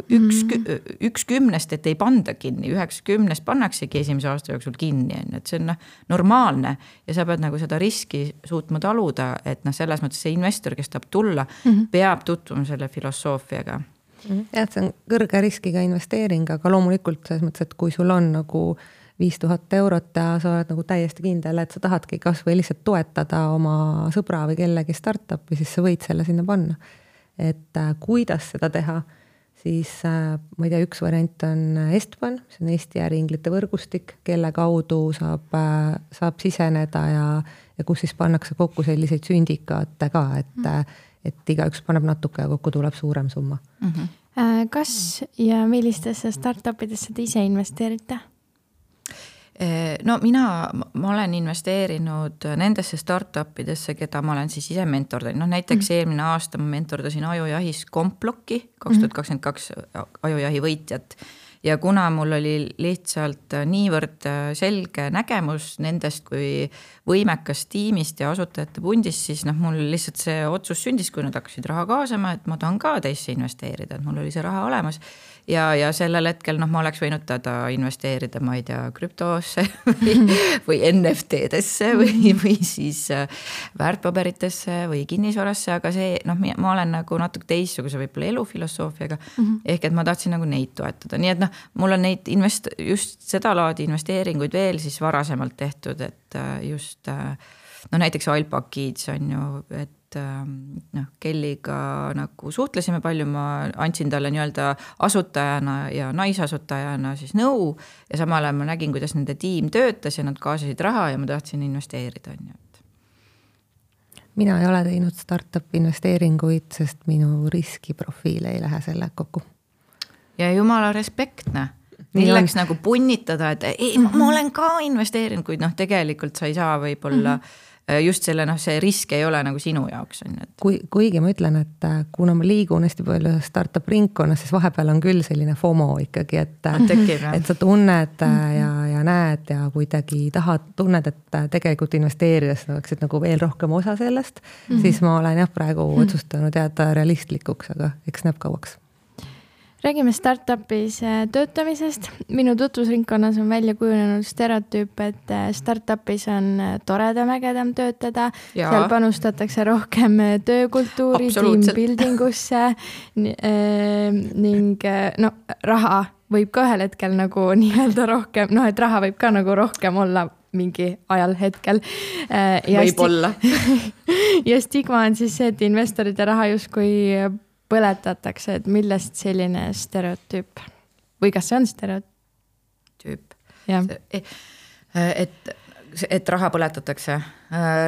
üks, mm-hmm. üks kümnest, et ei panda kinni, üheks kümnest pannaksegi esimese aasta jooksul kinni, et see on normaalne ja sa pead nagu seda riski suutma taluda, et noh, selles mõttes see investor, kes tahab tulla, mm-hmm. peab tutvuma selle filosoofiaga. Mm-hmm. Ja, see on kõrge riskiga investeering, aga loomulikult selles mõttes, et kui sul on nagu viis tuhat eurot ja sa oled nagu täiesti kindel, et sa tahadki kas või lihtsalt toetada oma sõbra või kellegi startupi, siis sa võid selle sinna panna. Et äh, kuidas seda teha, siis äh, ma ei tea, üks variant on Estban, see on Eesti äriinglite võrgustik, kelle kaudu saab, äh, saab siseneda ja, ja kus siis pannakse kokku selliseid sündikaate ka, et, mm. et igaüks paneb natuke ja kokku tuleb suurem summa. Mm-hmm. Kas ja millistesse startupidesse te ise investeerite? No mina, ma olen investeerinud nendesse startupidesse, keda ma olen siis ise mentordanud. No näiteks mm. eelmine aasta ma mentordasin Ajujahis Komplokki, kaks tuhat kakskümmend kaks Ajujahi võitjat. Ja kuna mul oli lihtsalt niivõrd selge nägemus nendest kui võimekas tiimist ja asutajate pundist, siis noh, mul lihtsalt see otsus sündis, kui nad hakkasid raha kaasama, et ma tahan ka teisse investeerida, et mul oli see raha olemas. Ja, ja sellel hetkel noh, ma oleks võinud tada investeerida, ma ei tea, krüptoosse või, või N F T-desse või, või siis väärtpaberitesse või kinnisvarasse, aga see, noh, ma olen nagu natuke teistsuguse võib-olla elufilosoofiaga, mm-hmm. ehk et ma tahtsin nagu neid toetada. Nii et noh, mul on neid invest- just seda laadi investeeringuid veel siis varasemalt tehtud, et just no näiteks Alpakids on ju, et noh, Kelliga nagu suhtlesime palju, ma andsin talle nii-öelda asutajana ja naisasutajana siis nõu ja samal ajal ma nägin, kuidas nende tiim töötas ja nad kaasasid raha ja ma tahtsin investeerida. Mina ei ole teinud startup investeeringuid, sest minu riskiprofiil ei lähe selle kokku. Ja jumala respektne. Milleks nagu punnitada, et ei, ma, ma olen ka investeerinud, kuid noh, tegelikult sa ei saa võib-olla mm-hmm. just selle, noh, see risk ei ole nagu sinu jaoks. On, et... Kui, kuigi ma ütlen, et kuna ma liigun hästi palju startup ringkonnas, siis vahepeal on küll selline FOMO ikkagi, et, tekib, et sa tunned ja, ja näed ja kuidagi tahad, tunned, et tegelikult investeerides oleksid nagu veel rohkem osa sellest, mm -hmm. siis ma olen jah praegu mm -hmm. otsustanud jääda realistlikuks, aga eks näeb kauaks. Räägime startupis töötamisest. Minu tutvusringkonnas on välja kujunenud stereotüüp, et startupis on toredam, ägedam töötada. Ja. Seal panustatakse rohkem töökultuuri, team building usse ning no, raha võib ka ühel hetkel nagu nii-öelda rohkem, noh, et raha võib ka nagu rohkem olla mingi ajal hetkel. Ja võib olla. Ja stigma on siis see, et investoride raha justkui põletatakse, et millest selline stereotüüp või kas see on stereotüüp? Et, et, et raha põletatakse.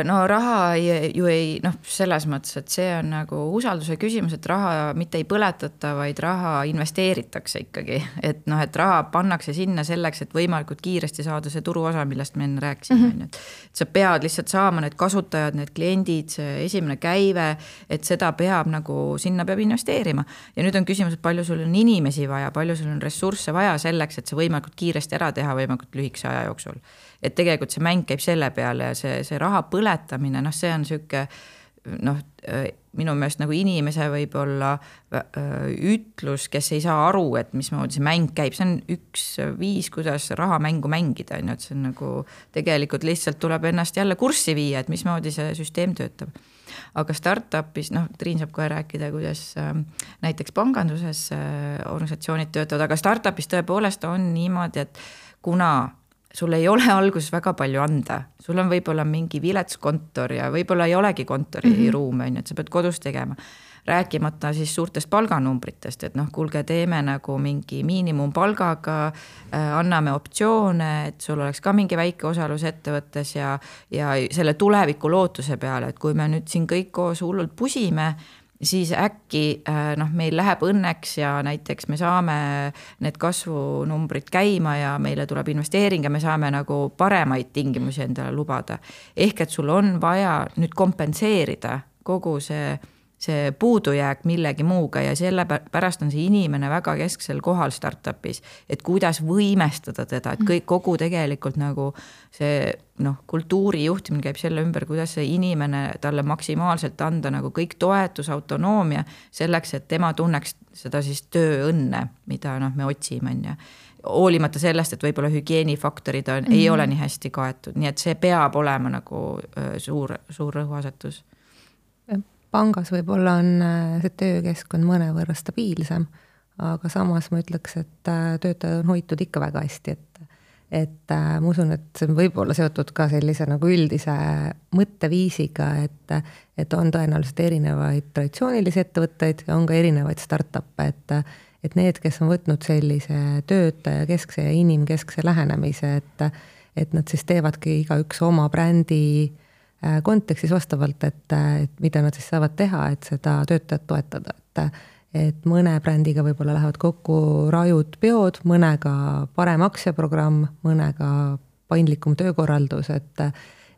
No raha ei, ju ei, noh, selles mõttes, et see on nagu usalduse küsimus, et raha mitte ei põletata, vaid raha investeeritakse ikkagi. Et noh, et raha pannakse sinna selleks, et võimalikult kiiresti saada see turuosa, millest me enne rääkisime. Mm -hmm. Et sa pead lihtsalt saama need kasutajad, need kliendid, see esimene käive, et seda peab nagu, sinna peab investeerima. Ja nüüd on küsimus, et palju sul on inimesi vaja, palju sul on ressursse vaja selleks, et see võimalikult kiiresti ära teha võimalikult lühikese aja jooksul. Et tegelikult see mäng käib selle peale ja see, see raha põletamine, noh, see on süke, noh, minu meelest nagu inimese võib olla ütlus, kes ei saa aru, et mismoodi see mäng käib, see on üks viis, kuidas rahamängu mängida, et see on nagu tegelikult lihtsalt tuleb ennast jälle kurssi viia, et mismoodi see süsteem töötab. Aga startupis, noh, Triin saab kohe rääkida, kuidas näiteks panganduses organisatsioonid töötavad, aga startupis tõepoolest on niimoodi, et kuna sul ei ole alguses väga palju anda, sul on võib-olla mingi viletskontor ja võib-olla ei olegi kontori mm -hmm. ruume, et sa pead kodus tegema. Rääkimata siis suurtest palganumbritest, et noh, kuulge, teeme nagu mingi miinimumpalgaga, äh, anname optsioone, et sul oleks ka mingi väike osalus ettevõttes ja, ja selle tuleviku lootuse peale, et kui me nüüd siin kõik koos hullult pusime, siis äkki noh, meil läheb õnneks ja näiteks me saame need kasvunumbrid käima ja meile tuleb investeering ja me saame nagu paremaid tingimusi endale lubada. Ehk et sul on vaja nüüd kompenseerida kogu see, see puudujääk millegi muuga ja selle pärast on see inimene väga kesksel kohal startupis, et kuidas võimestada teda, et kõik, kogu tegelikult nagu see noh, kultuuri juhtimine käib selle ümber, kuidas see inimene talle maksimaalselt anda nagu kõik toetus, autonoomia selleks, et tema tunneks seda siis tööõnne, mida noh, me otsime. Ja hoolimata sellest, et võib-olla hügieenifaktorid on, mm -hmm. ei ole nii hästi kaetud, nii et see peab olema nagu suur, suur rõhuasetus. Pangas võib-olla on see töökeskkond mõnevõrra stabiilsem, aga samas ma ütleks, et töötajad on hoitud ikka väga hästi, et et ma usun, et see on võib-olla seotud ka sellise nagu üldise mõtteviisiga, et, et on tõenäoliselt erinevaid traditsioonilisi ettevõtteid ja on ka erinevaid startup'e, et, et need, kes on võtnud sellise töötaja keskse ja inimkeskse lähenemise, et, et nad siis teevadki igaüks oma brändi kontekstis vastavalt, et, et mida nad siis saavad teha, et seda töötajat toetada, et et mõne brändiga võib-olla lähevad kokku rajud peod, mõnega parem aktsiaprogramm, mõnega paindlikum töökorraldus, et,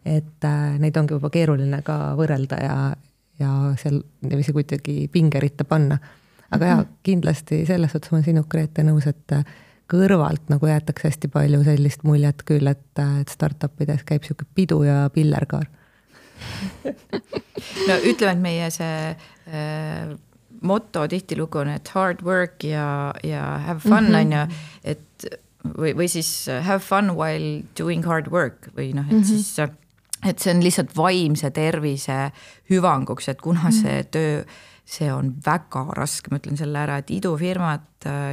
et neid ongi juba keeruline ka võrrelda ja, ja seal niiviisi kuidagi pingeritta panna. Aga mm-hmm. ja kindlasti selles suhtes ma olen sinu, Grete, nõus, et kõrvalt nagu jäetakse hästi palju sellist muljet küll, et, et startupides käib siuke pidu ja pillerkaar. No ütleme, et meie see äh, motto tihtilugu on, et hard work ja, ja have fun mm, -hmm. on ju, et või, või siis have fun while doing hard work või noh, et mm -hmm. siis, et see on lihtsalt vaimse tervise hüvanguks, et kuna mm -hmm. see töö, see on väga raske, ma ütlen selle ära, et idufirmat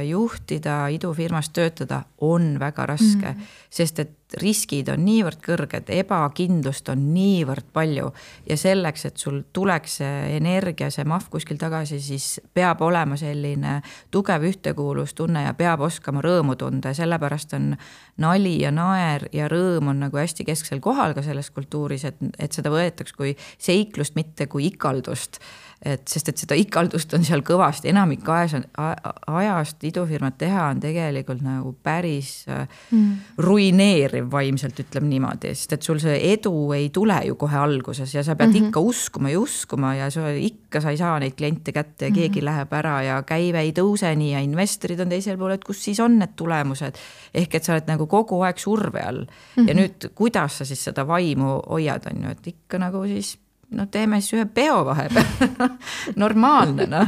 juhtida, idufirmas töötada on väga raske, mm. sest et riskid on niivõrd kõrged, ebakindlust on niivõrd palju ja selleks, et sul tuleks see energia, see mahv kuskil tagasi, siis peab olema selline tugev ühtekuuluvustunne ja peab oskama rõõmu tunda ja sellepärast on nali ja naer ja rõõm on nagu hästi kesksel kohal ka selles kultuuris, et, et seda võetaks kui seiklust, mitte kui ikaldust. Et, sest et seda ikaldust on seal kõvasti, enamik ajas on, ajast idufirmat teha on tegelikult nagu päris mm. ruineeriv vaimselt, ütleme niimoodi, sest et sul see edu ei tule ju kohe alguses ja sa pead mm -hmm. ikka uskuma ja uskuma ja sa, ikka sa ei saa neid kliente kätte ja mm -hmm. keegi läheb ära ja käive ei tõuse nii ja investorid on teisel pool, et kus siis on need tulemused. Ehk et sa oled nagu kogu aeg surve all mm -hmm. ja nüüd kuidas sa siis seda vaimu hoiad, on ju, et ikka nagu siis no teeme siis ühe peo vahepeal. Normaalne, noh.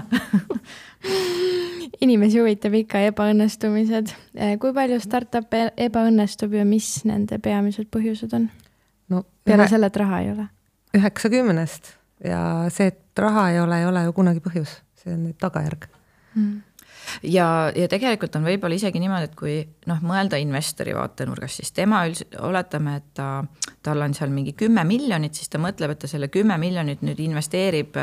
Inimesi huvitab ikka ebaõnnestumised. Kui palju startup ebaõnnestub ja mis nende peamised põhjused on? No, peale ühe... selle, et raha ei ole. üheksakümnest ja see, et raha ei ole, ei ole ju kunagi põhjus. See on nüüd tagajärg. Hmm. Ja, ja tegelikult on võib-olla isegi niimoodi, et kui noh, mõelda investori vaatenurgas, siis tema üldse, oletame, et ta, tal on seal mingi kümme miljonit, siis ta mõtleb, et ta selle kümme miljonit nüüd investeerib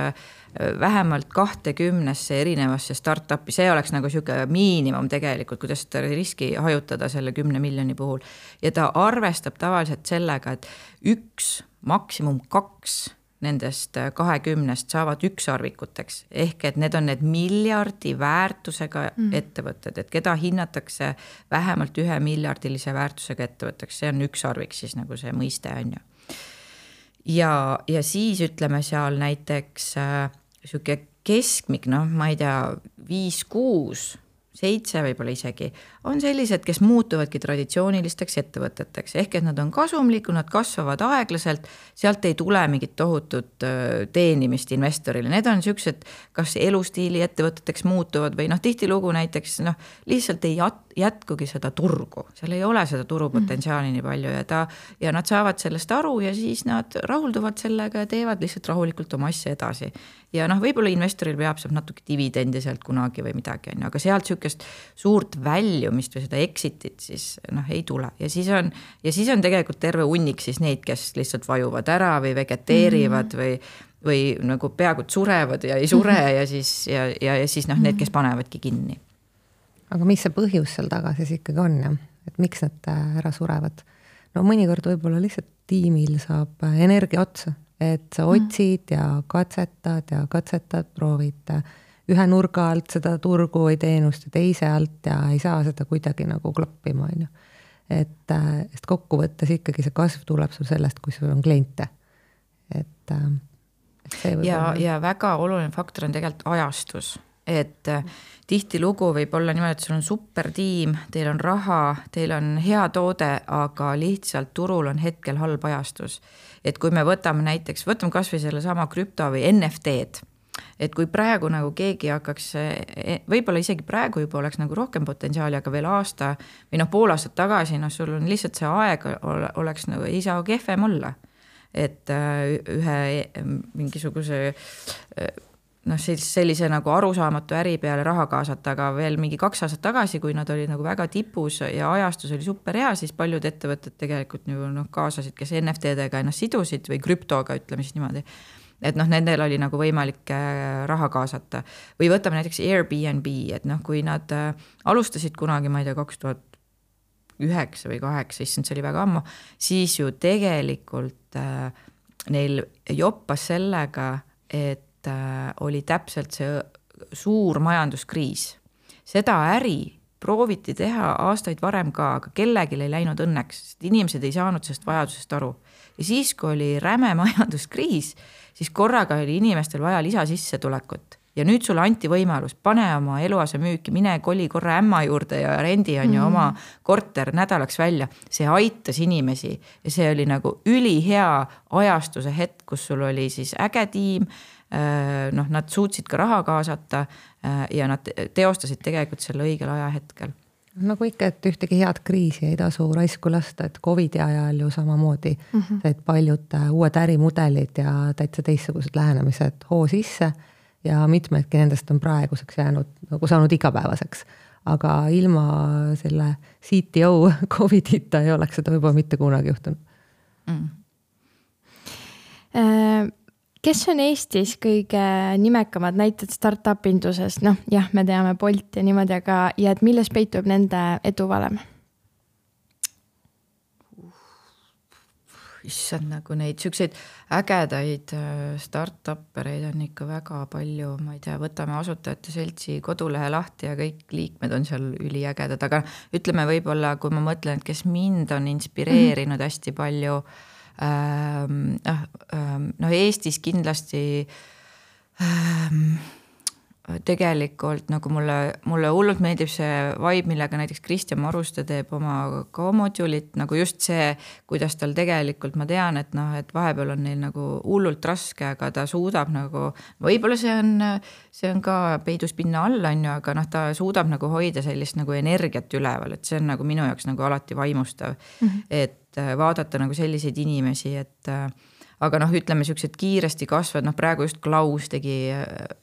vähemalt kahtekümnesse erinevasse startupi, see oleks nagu siuke miinimum tegelikult, kuidas seda riski hajutada selle kümne miljoni puhul. Ja ta arvestab tavaliselt sellega, et üks, maksimum kaks nendest kahekümnest saavad ükssarvikuteks. Ehk et need on need miljardi väärtusega mm. ettevõtted, et keda hinnatakse vähemalt ühe miljardilise väärtusega ettevõtteks. See on ükssarvik siis nagu see mõiste on ju. Ja, ja siis ütleme seal näiteks äh, siuke keskmik, noh, ma ei tea, viis, kuus, seitse võib-olla isegi, on sellised, kes muutuvadki traditsioonilisteks ettevõteteks. Ehk et nad on kasumlikud, nad kasvavad aeglaselt, sealt ei tule mingit tohutut teenimist investorile. Need on siuksed, kas elustiili ettevõteteks muutuvad või noh, tihtilugu näiteks noh, lihtsalt ei jätkugi seda turgu. Seal ei ole seda turupotentsiaali nii palju ja, ta, ja nad saavad sellest aru ja siis nad rahulduvad sellega ja teevad lihtsalt rahulikult oma asja edasi. Ja noh, võib-olla investoril peab saab natuke dividendi sealt kunagi või midagi, aga sealt siukest suurt väljumist või seda exitit siis noh, ei tule. Ja siis on, ja siis on tegelikult terve hunnik siis neid, kes lihtsalt vajuvad ära või vegeteerivad mm -hmm. või, või nagu peaaegu surevad ja ei sure mm -hmm. ja siis, ja, ja, ja siis noh, need, kes panevadki kinni. Aga mis see põhjus seal taga siis ikkagi on, jah? Et miks need ära surevad? No mõnikord võib-olla lihtsalt tiimil saab energia otsa. Et sa otsid ja katsetad ja katsetad, proovid ühe nurga alt seda turgu või teenust ja teise alt ja ei saa seda kuidagi nagu klappima. Et, et kokkuvõttes ikkagi see kasv tuleb sul sellest, kui sul on kliente. Et, et see ja, ja väga oluline faktor on tegelikult ajastus. Et tihti lugu võib olla niimoodi, et sul on super tiim, teil on raha, teil on hea toode, aga lihtsalt turul on hetkel halb ajastus. Et kui me võtame näiteks, võtame kas või selle sama krüpto või N F T-d, et kui praegu nagu keegi hakkaks, võib-olla isegi praegu juba oleks nagu rohkem potentsiaali, aga veel aasta või noh, pool aastat tagasi, noh, sul on lihtsalt see aeg oleks nagu, ei saa kehvem olla. Et ühe mingisuguse noh, sellise nagu arusaamatu äri peale raha kaasata, aga veel mingi kaks aastat tagasi, kui nad olid nagu väga tipus ja ajastus oli super hea, siis paljud ettevõtted tegelikult nagu, noh, kaasasid, kes N F T-dega ennast sidusid või krüptoga, ütleme siis niimoodi. Et noh, nendel oli nagu võimalik raha kaasata. Või võtame näiteks Airbnb, et noh, kui nad alustasid kunagi, ma ei tea, kaks tuhat üheksa või kaheksa, issand, see oli väga ammu, siis ju tegelikult äh, neil joppas sellega, et oli täpselt see suur majanduskriis. Seda äri prooviti teha aastaid varem ka, aga kellelgi ei läinud õnneks, sest inimesed ei saanud sellest vajadusest aru. Ja siis, kui oli räme majanduskriis, siis korraga oli inimestel vaja lisasissetulekut. Ja nüüd sulle anti võimalus, pane oma eluase müüki, mine koli korra ämma juurde ja rendi on ju mm. oma korter nädalaks välja. See aitas inimesi ja see oli nagu ülihea ajastuse hetk, kus sul oli siis äge tiim, noh, nad suutsid ka raha kaasata ja nad teostasid tegelikult selle õigel ajahetkel. Nagu ikka, et ühtegi head kriisi ei tasu raisku lasta, et Covidi ajal ju samamoodi mm -hmm. said paljud uued ärimudelid ja täitsa teistsugused lähenemised hoo sisse ja mitmedki nendest on praeguseks jäänud nagu saanud igapäevaseks. Aga ilma selle C T O Covidita ei oleks seda võib-olla mitte kunagi juhtunud. Mm. Äh... Kes on Eestis kõige nimekamad näited startup-indusest? Noh, jah, me teame Bolt ja niimoodi, aga ja et milles peitub nende edu valem? issand, nagu neid siukseid ägedaid start-up'ereid on ikka väga palju, ma ei tea, võtame Asutajate Seltsi kodulehe lahti ja kõik liikmed on seal üliägedad, aga ütleme võib-olla, kui ma mõtlen, et kes mind on inspireerinud mm-hmm. hästi palju, ähm, ähm, no Eestis kindlasti ähm, tegelikult nagu mulle, mulle hullult meeldib see vibe, millega näiteks Kristjan Maruste teeb oma ka modulit, nagu just see, kuidas tal tegelikult, ma tean, et noh, et vahepeal on neil nagu hullult raske, aga ta suudab nagu, võib-olla see on, see on ka peidus pinna all, on ju, aga noh, ta suudab nagu hoida sellist nagu energiat üleval, et see on nagu minu jaoks nagu alati vaimustav, mm-hmm. et vaadata nagu selliseid inimesi, et aga noh, ütleme siuksed kiiresti kasvad, noh praegu just Klaus tegi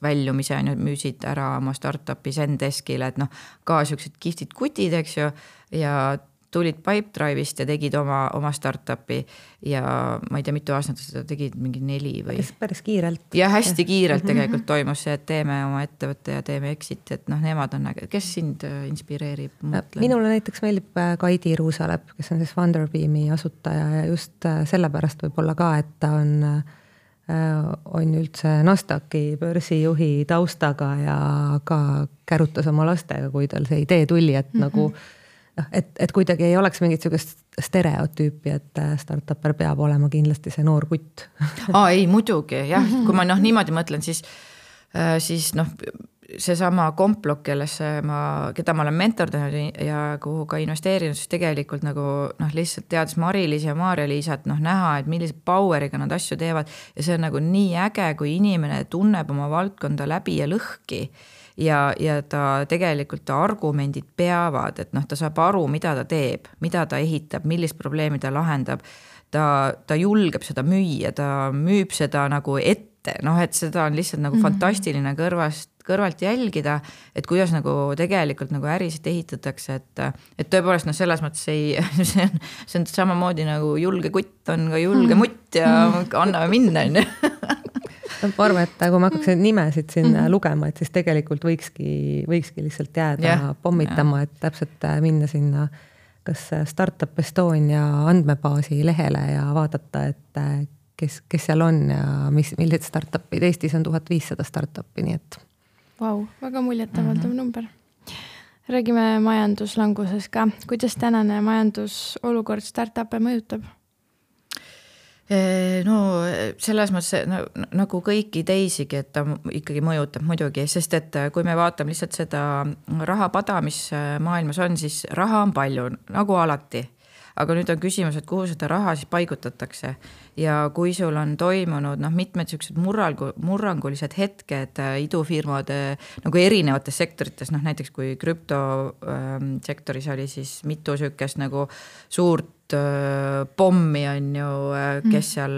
väljumise, on ju, müüsid ära oma startupi Zendeskile, et noh, ka siuksed kihvtid kutid, eks ju, ja tulid Pipedrive'ist ja tegid oma, oma startupi ja ma ei tea, mitu aastat seda tegid, mingi neli või. Päris, päris kiirelt. Ja hästi kiirelt tegelikult toimus see, et teeme oma ettevõtte ja teeme exit, et noh, nemad on äge. Kes sind inspireerib? Mõtlen? Minule näiteks meeldib Kaidi Ruusalep, kes on siis Funderbeami asutaja ja just sellepärast võib-olla ka, et ta on, on üldse Nasdaqi börsijuhi taustaga ja ka kärutas oma lastega, kui tal see idee tuli, et mm-hmm. nagu Et, et kuidagi ei oleks mingit sellist stereotüüpi, et startupper peab olema kindlasti see noor kutt. Aa, ei, muidugi, jah. Kui ma noh, niimoodi mõtlen, siis, siis noh, see sama Komplok, kellesse ma, keda ma olen mentordanud ja kuhu ka investeerinud, siis tegelikult nagu noh, lihtsalt teades Mari-Liis ja Maarja-Liisat noh, näha, et millise poweriga nad asju teevad ja see on nagu nii äge, kui inimene tunneb oma valdkonda läbi ja lõhki. Ja, ja ta tegelikult ta argumendid peavad, et noh, ta saab aru, mida ta teeb, mida ta ehitab, millist probleemi ta lahendab. Ta, ta julgeb seda müüa, ta müüb seda nagu ette, noh, et seda on lihtsalt nagu mm-hmm. fantastiline kõrvast, kõrvalt jälgida, et kuidas nagu tegelikult nagu ärisid ehitatakse, et, et tõepoolest noh, selles mõttes ei, see on, see on samamoodi nagu julge kutt on ka julge mm-hmm. mutt ja anname minna, on ju. Ma arvan, et kui ma hakkaks nimesid siin mm-hmm. lugema, et siis tegelikult võikski, võikski lihtsalt jääda yeah, pommitama, yeah. et täpselt minna sinna kas Startup Estonia andmebaasi lehele ja vaadata, et kes, kes seal on ja mis, millised startupid. Eestis on tuhat viissada startupi, nii et. Vau, väga muljetavaldav mm-hmm. number. Räägime majanduslanguses ka. Kuidas tänane majandusolukord startup'e mõjutab? No selles mõttes no, nagu kõiki teisigi, et ta ikkagi mõjutab muidugi, sest et kui me vaatame lihtsalt seda rahapada, mis maailmas on, siis raha on palju, nagu alati. Aga nüüd on küsimus, et kuhu seda raha siis paigutatakse ja kui sul on toimunud noh, mitmed sellised murrangu, murrangulised hetked idufirmade nagu erinevates sektorites, noh näiteks kui krüptosektoris oli siis mitu sükest nagu suurt äh, pommi on ju, kes seal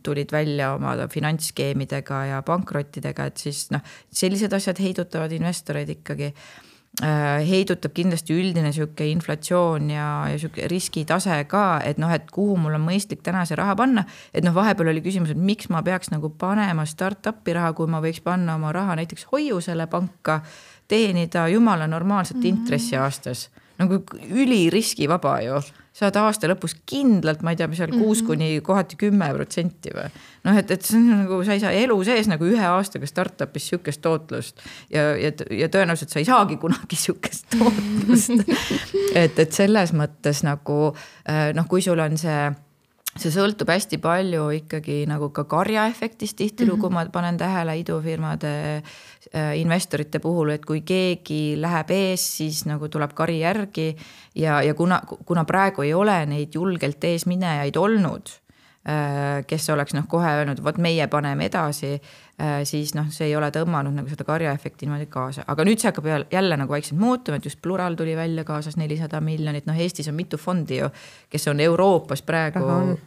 tulid välja oma finantsskeemidega ja pankrottidega, et siis noh, sellised asjad heidutavad investoreid ikkagi. Heidutab kindlasti üldine siuke inflatsioon ja, ja siuke riskitase ka, et noh, et kuhu mul on mõistlik täna see raha panna, et noh, vahepeal oli küsimus, et miks ma peaks nagu panema startupi raha, kui ma võiks panna oma raha näiteks hoiusele panka, teenida jumala normaalset intressi aastas, nagu üli riskivaba ju. Saad aasta lõpus kindlalt, ma ei tea, mis seal kuus kuni kohati kümme protsenti või. Noh, et, et see on nagu, sa ei saa elu sees nagu ühe aastaga startupis siukest tootlust ja, ja, ja tõenäoliselt sa ei saagi kunagi siukest tootlust. et, et selles mõttes nagu, noh, kui sul on see, see sõltub hästi palju ikkagi nagu ka karjaefektist tihtilugu, mm-hmm. ma panen tähele idufirmade investorite puhul, et kui keegi läheb ees, siis nagu tuleb kari järgi ja, ja kuna, kuna praegu ei ole neid julgelt ees minejaid olnud, kes oleks noh, kohe öelnud, võt meie paneme edasi, siis noh, see ei ole tõmmanud nagu seda karjaefekti niimoodi kaasa. Aga nüüd see hakkab jälle nagu vaikselt muutuma, et just Plural tuli välja kaasas nelisada miljonit, noh Eestis on mitu fondi ju, kes on Euroopas praegu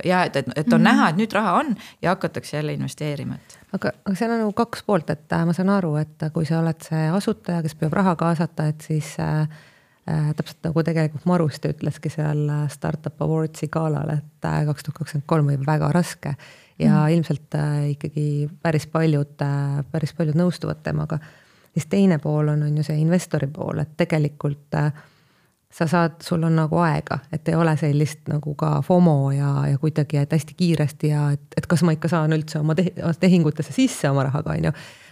ja et, et on mm-hmm. näha, et nüüd raha on ja hakatakse jälle investeerima. Et. Aga, aga seal on nagu kaks poolt, et ma saan aru, et kui sa oled see asutaja, kes peab raha kaasata, et siis äh, täpselt nagu tegelikult Maruste ütleski seal Startup Awardsi galal, et kaks tuhat kakskümmend kolm oli väga raske ja mm. ilmselt äh, ikkagi päris paljud, äh, päris paljud nõustuvad temaga. Siis teine pool on, on ju see investori pool, et tegelikult äh, sa saad, sul on nagu aega, et ei ole sellist nagu ka FOMO ja, ja kuidagi, et hästi kiiresti ja et, et kas ma ikka saan üldse oma tehingutesse sisse oma rahaga, on ju,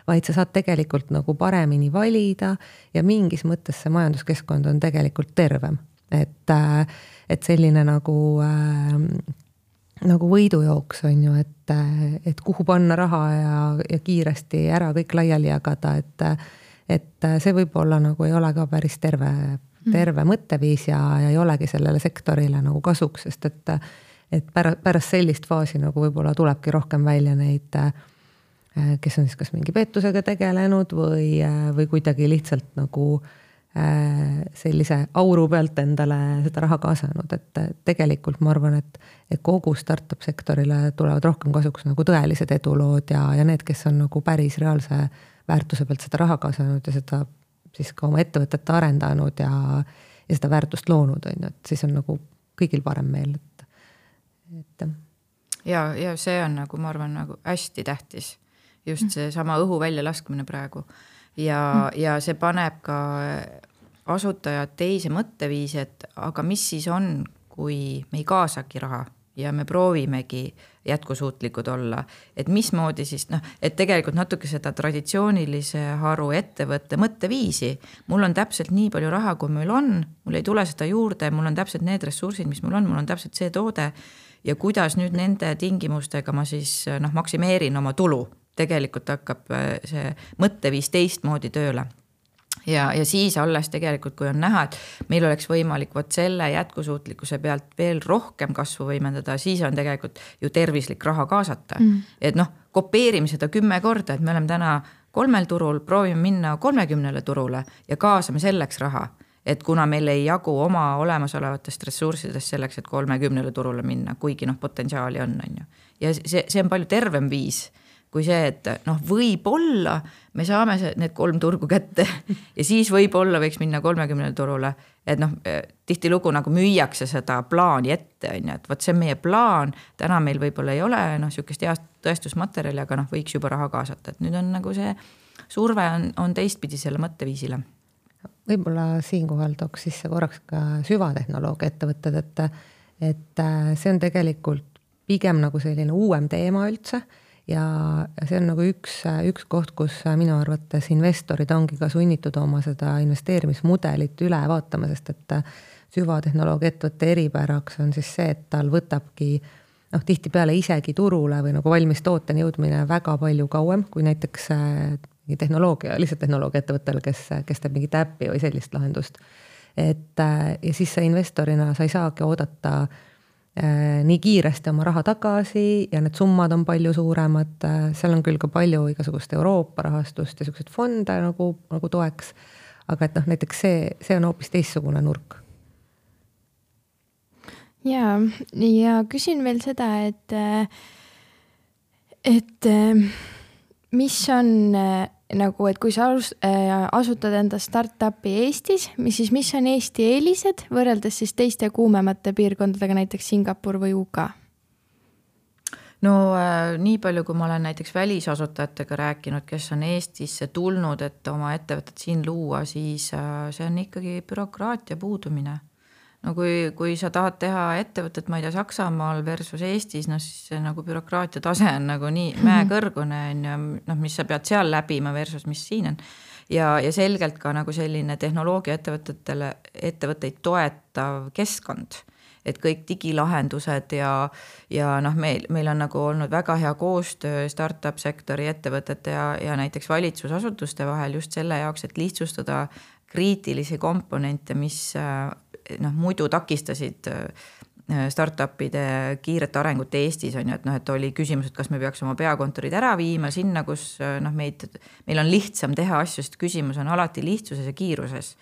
vaid sa saad tegelikult nagu paremini valida ja mingis mõttes see majanduskeskkond on tegelikult tervem. Et, et selline nagu, äh, nagu võidujooks on ju, et, et kuhu panna raha ja, ja kiiresti ära kõik laiali jagada, et, et see võib-olla nagu ei ole ka päris terve terve mõtteviis ja, ja ei olegi sellele sektorile nagu kasuks, sest et, et pärast, pärast sellist faasi nagu võib-olla tulebki rohkem välja neid, kes on siis kas mingi pettusega tegelenud või, või kuidagi lihtsalt nagu sellise auru pealt endale seda raha kaasanud, et tegelikult ma arvan, et, et kogu startup sektorile tulevad rohkem kasuks nagu tõelised edulood ja, ja need, kes on nagu päris reaalse väärtuse pealt seda raha kaasanud ja seda siis ka oma ettevõtet arendanud ja, ja seda väärtust loonud, on ju, et siis on nagu kõigil parem meel. Et, et. Ja, ja see on nagu, ma arvan, nagu hästi tähtis. Just see sama õhu välja laskmine praegu. Ja, mm. ja see paneb ka asutajad teise mõtteviisi, et aga mis siis on, kui me ei kaasagi raha ja me proovimegi jätkusuutlikud olla, et mismoodi siis, noh, et tegelikult natuke seda traditsioonilise haru ettevõtte mõtteviisi, mul on täpselt nii palju raha, kui meil on, mul ei tule seda juurde, mul on täpselt need ressursid, mis mul on, mul on täpselt see toode ja kuidas nüüd nende tingimustega ma siis noh, maksimeerin oma tulu, tegelikult hakkab see mõtteviis teistmoodi tööle. Ja, ja siis alles tegelikult, kui on näha, et meil oleks võimalik võt selle jätkusuutlikkuse pealt veel rohkem kasvu võimendada, siis on tegelikult ju tervislik raha kaasata. Mm. Et noh, kopeerime seda kümme korda, et me oleme täna kolmel turul, proovime minna kolmekümnele turule ja kaasame selleks raha. Et kuna meil ei jagu oma olemasolevatest ressurssidest selleks, et kolmekümnele turule minna, kuigi noh, potentsiaali on, on ju. Ja see, see on palju tervem viis kui see, et noh, võib-olla me saame need kolm turgu kätte ja siis võib-olla võiks minna kolmekümnele turule, et noh, tihti lugu nagu müüakse seda plaani ette, on ju, et võt see on meie plaan, täna meil võib-olla ei ole noh, sükest heast tõestusmaterjali, aga noh, võiks juba raha kaasata, et nüüd on nagu see surve on, on teistpidi selle mõtteviisile. Võib-olla siinkohal tooks sisse korraks ka süvatehnoloogia ettevõtted, et, et see on tegelikult pigem nagu selline uuem teema üldse, ja see on nagu üks, üks koht, kus minu arvates investorid ongi ka sunnitud oma seda investeerimismudelit üle vaatama, sest et süvatehnoloogia ettevõtte eripäraks on siis see, et tal võtabki noh, tihtipeale isegi turule või nagu valmis tooteni jõudmine väga palju kauem, kui näiteks tehnoloogia, lihtsalt tehnoloogia ettevõttel, kes, kes teeb mingi täppi või sellist lahendust. Et, ja siis sa investorina sa ei saagi oodata nii kiiresti oma raha tagasi ja need summad on palju suuremad, seal on küll ka palju igasugust Euroopa rahastust ja sellised fonde nagu, nagu toeks, aga et noh, näiteks see, see on hoopis teistsugune nurk. Ja, ja küsin veel seda, et, et mis on nagu, et kui sa asutad enda startupi Eestis, mis siis, mis on Eesti eelised võrreldes siis teiste kuumemate piirkondadega, näiteks Singapur või U K? No äh, nii palju, kui ma olen näiteks välisasutajatega rääkinud, kes on Eestisse tulnud, et oma ettevõtet siin luua, siis äh, see on ikkagi bürokraatia puudumine. No kui, kui sa tahad teha ettevõtet, ma ei tea, Saksamaal versus Eestis, no siis see nagu bürokraatia tase on nagu nii mäekõrgune, no, mis sa pead seal läbima versus mis siin on. Ja, ja selgelt ka nagu selline tehnoloogia ettevõtetele, ettevõtteid toetav keskkond, et kõik digilahendused ja, ja noh, meil, meil on nagu olnud väga hea koostöö startup sektori ettevõtete ja, ja näiteks valitsusasutuste vahel just selle jaoks, et lihtsustada kriitilisi komponente, mis noh, muidu takistasid startupide kiiret arengut Eestis on ju, et noh, et oli küsimus, et kas me peaks oma peakontorid ära viima sinna, kus noh, meid, meil on lihtsam teha asju, sest küsimus on alati lihtsuses ja kiiruses.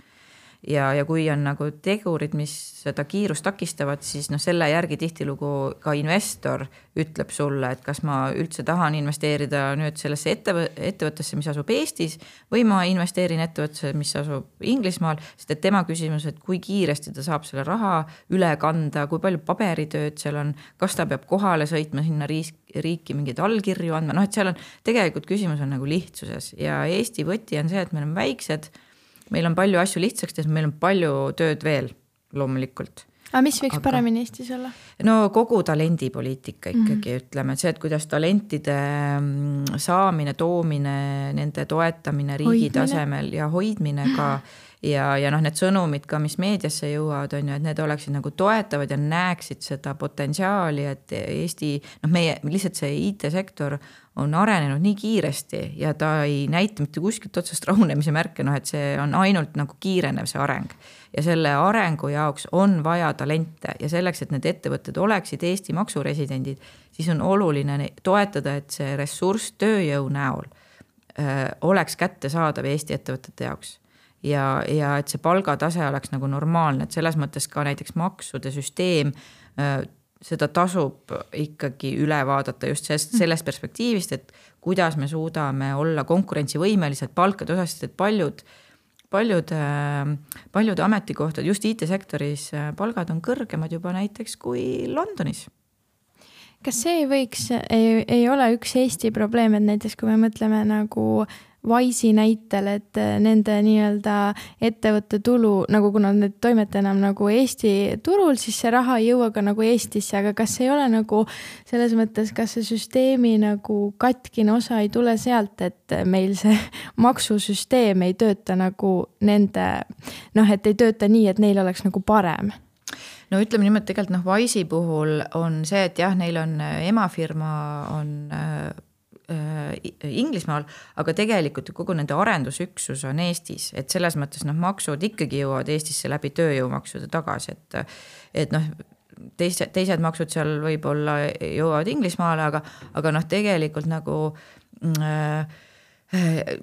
Ja, ja kui on nagu tegurid, mis seda kiirust takistavad, siis noh, selle järgi tihtilugu ka investor ütleb sulle, et kas ma üldse tahan investeerida nüüd sellesse ettevõ- ettevõttesse, mis asub Eestis või ma investeerin ettevõttesse, mis asub Inglismaal, sest et tema küsimus, et kui kiiresti ta saab selle raha üle kanda, kui palju paberitööd seal on, kas ta peab kohale sõitma sinna riiki mingeid allkirju andma, noh, et seal on tegelikult küsimus on nagu lihtsuses ja Eesti võti on see, et meil on väiksed, meil on palju asju lihtsaks, meil on palju tööd veel loomulikult. aga mis võiks aga... paremini Eestis olla? No kogu talendipoliitika ikkagi mm-hmm. ütleme, et see, et kuidas talentide saamine, toomine, nende toetamine riigi hoidmine. Tasemel ja hoidmine ka ja, ja noh, need sõnumid ka, mis meediasse jõuavad, on ju, et need oleksid nagu toetavad ja näeksid seda potentsiaali, et Eesti, noh meie lihtsalt see I T-sektor on arenenud nii kiiresti ja ta ei näita mitte kuskilt otsast rahunemise märke, noh et see on ainult nagu kiirenev see areng. Ja selle arengu jaoks on vaja talente ja selleks, et need ettevõtted oleksid Eesti maksuresidendid, siis on oluline toetada, et see ressurss tööjõu näol öö, oleks kättesaadav Eesti ettevõtete jaoks. Ja, ja et see palgatase oleks nagu normaalne, et selles mõttes ka näiteks maksude süsteem öö, seda tasub ikkagi üle vaadata just sellest perspektiivist, et kuidas me suudame olla konkurentsivõimelised palkade osast, et paljud, paljud, paljud ametikohtad, just I T-sektoris palgad on kõrgemad juba näiteks kui Londonis. Kas see ei võiks, ei, ei ole üks Eesti probleem, et näiteks kui me mõtleme nagu Wise'i näitel, et nende nii-öelda ettevõtte tulu, nagu kuna need toimete enam nagu Eesti turul, siis see raha ei jõua ka nagu Eestisse, aga kas ei ole nagu selles mõttes, kas see süsteemi nagu katkine osa ei tule sealt, et meil see maksusüsteem ei tööta nagu nende, noh, et ei tööta nii, et neil oleks nagu parem? No ütleme nimelt tegelikult noh, Wise'i puhul on see, et jah, neil on emafirma on Inglismaal, aga tegelikult kogu nende arendusüksus on Eestis, et selles mõttes noh, maksud ikkagi jõuavad Eestisse läbi tööjõumaksude tagasi, et, et noh, teised, teised maksud seal võib-olla jõuavad Inglismaale, aga, aga noh, tegelikult nagu äh,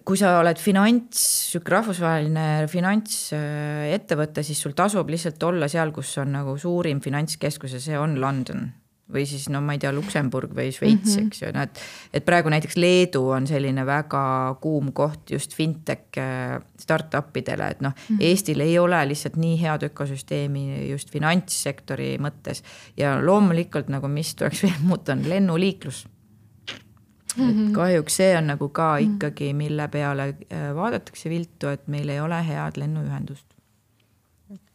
kui sa oled finants, rahvusvaheline finantsettevõte, siis sul tasub lihtsalt olla seal, kus on nagu suurim finantskeskus ja see on London. Või siis, no ma ei tea, Luksemburg või Šveits, mm-hmm. eks ju, no, et, et praegu näiteks Leedu on selline väga kuum koht just fintech startupidele, et noh, mm-hmm. Eestil ei ole lihtsalt nii head ökosüsteemi just finantssektori mõttes ja loomulikult nagu mis tuleks veel muuta on lennuliiklus. Mm-hmm. Et kahjuks see on nagu ka ikkagi, mille peale vaadatakse viltu, et meil ei ole head lennuühendust.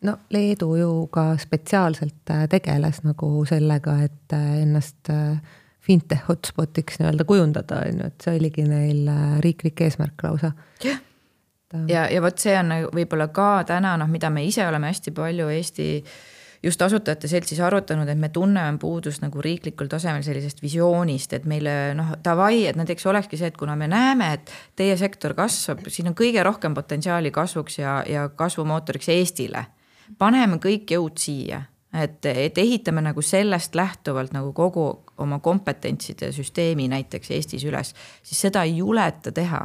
No Leedu ju ka spetsiaalselt tegeles nagu sellega, et ennast fintech hotspotiks nii-öelda kujundada, et see oligi neil riiklik eesmärk lausa. Ja, ja, ja võt see on võib-olla ka täna, noh, mida me ise oleme hästi palju Eesti just asutajate seltsis arutanud, et me tunneme puudust nagu riiklikul tasemel sellisest visioonist, et meile noh, tavai, et näiteks olekski see, et kuna me näeme, et teie sektor kasvab, siin on kõige rohkem potentsiaali kasvuks ja, ja kasvumootoriks Eestile. Paneme kõik jõud siia, et, et ehitame nagu sellest lähtuvalt nagu kogu oma kompetentside süsteemi näiteks Eestis üles, siis seda ei juleta teha.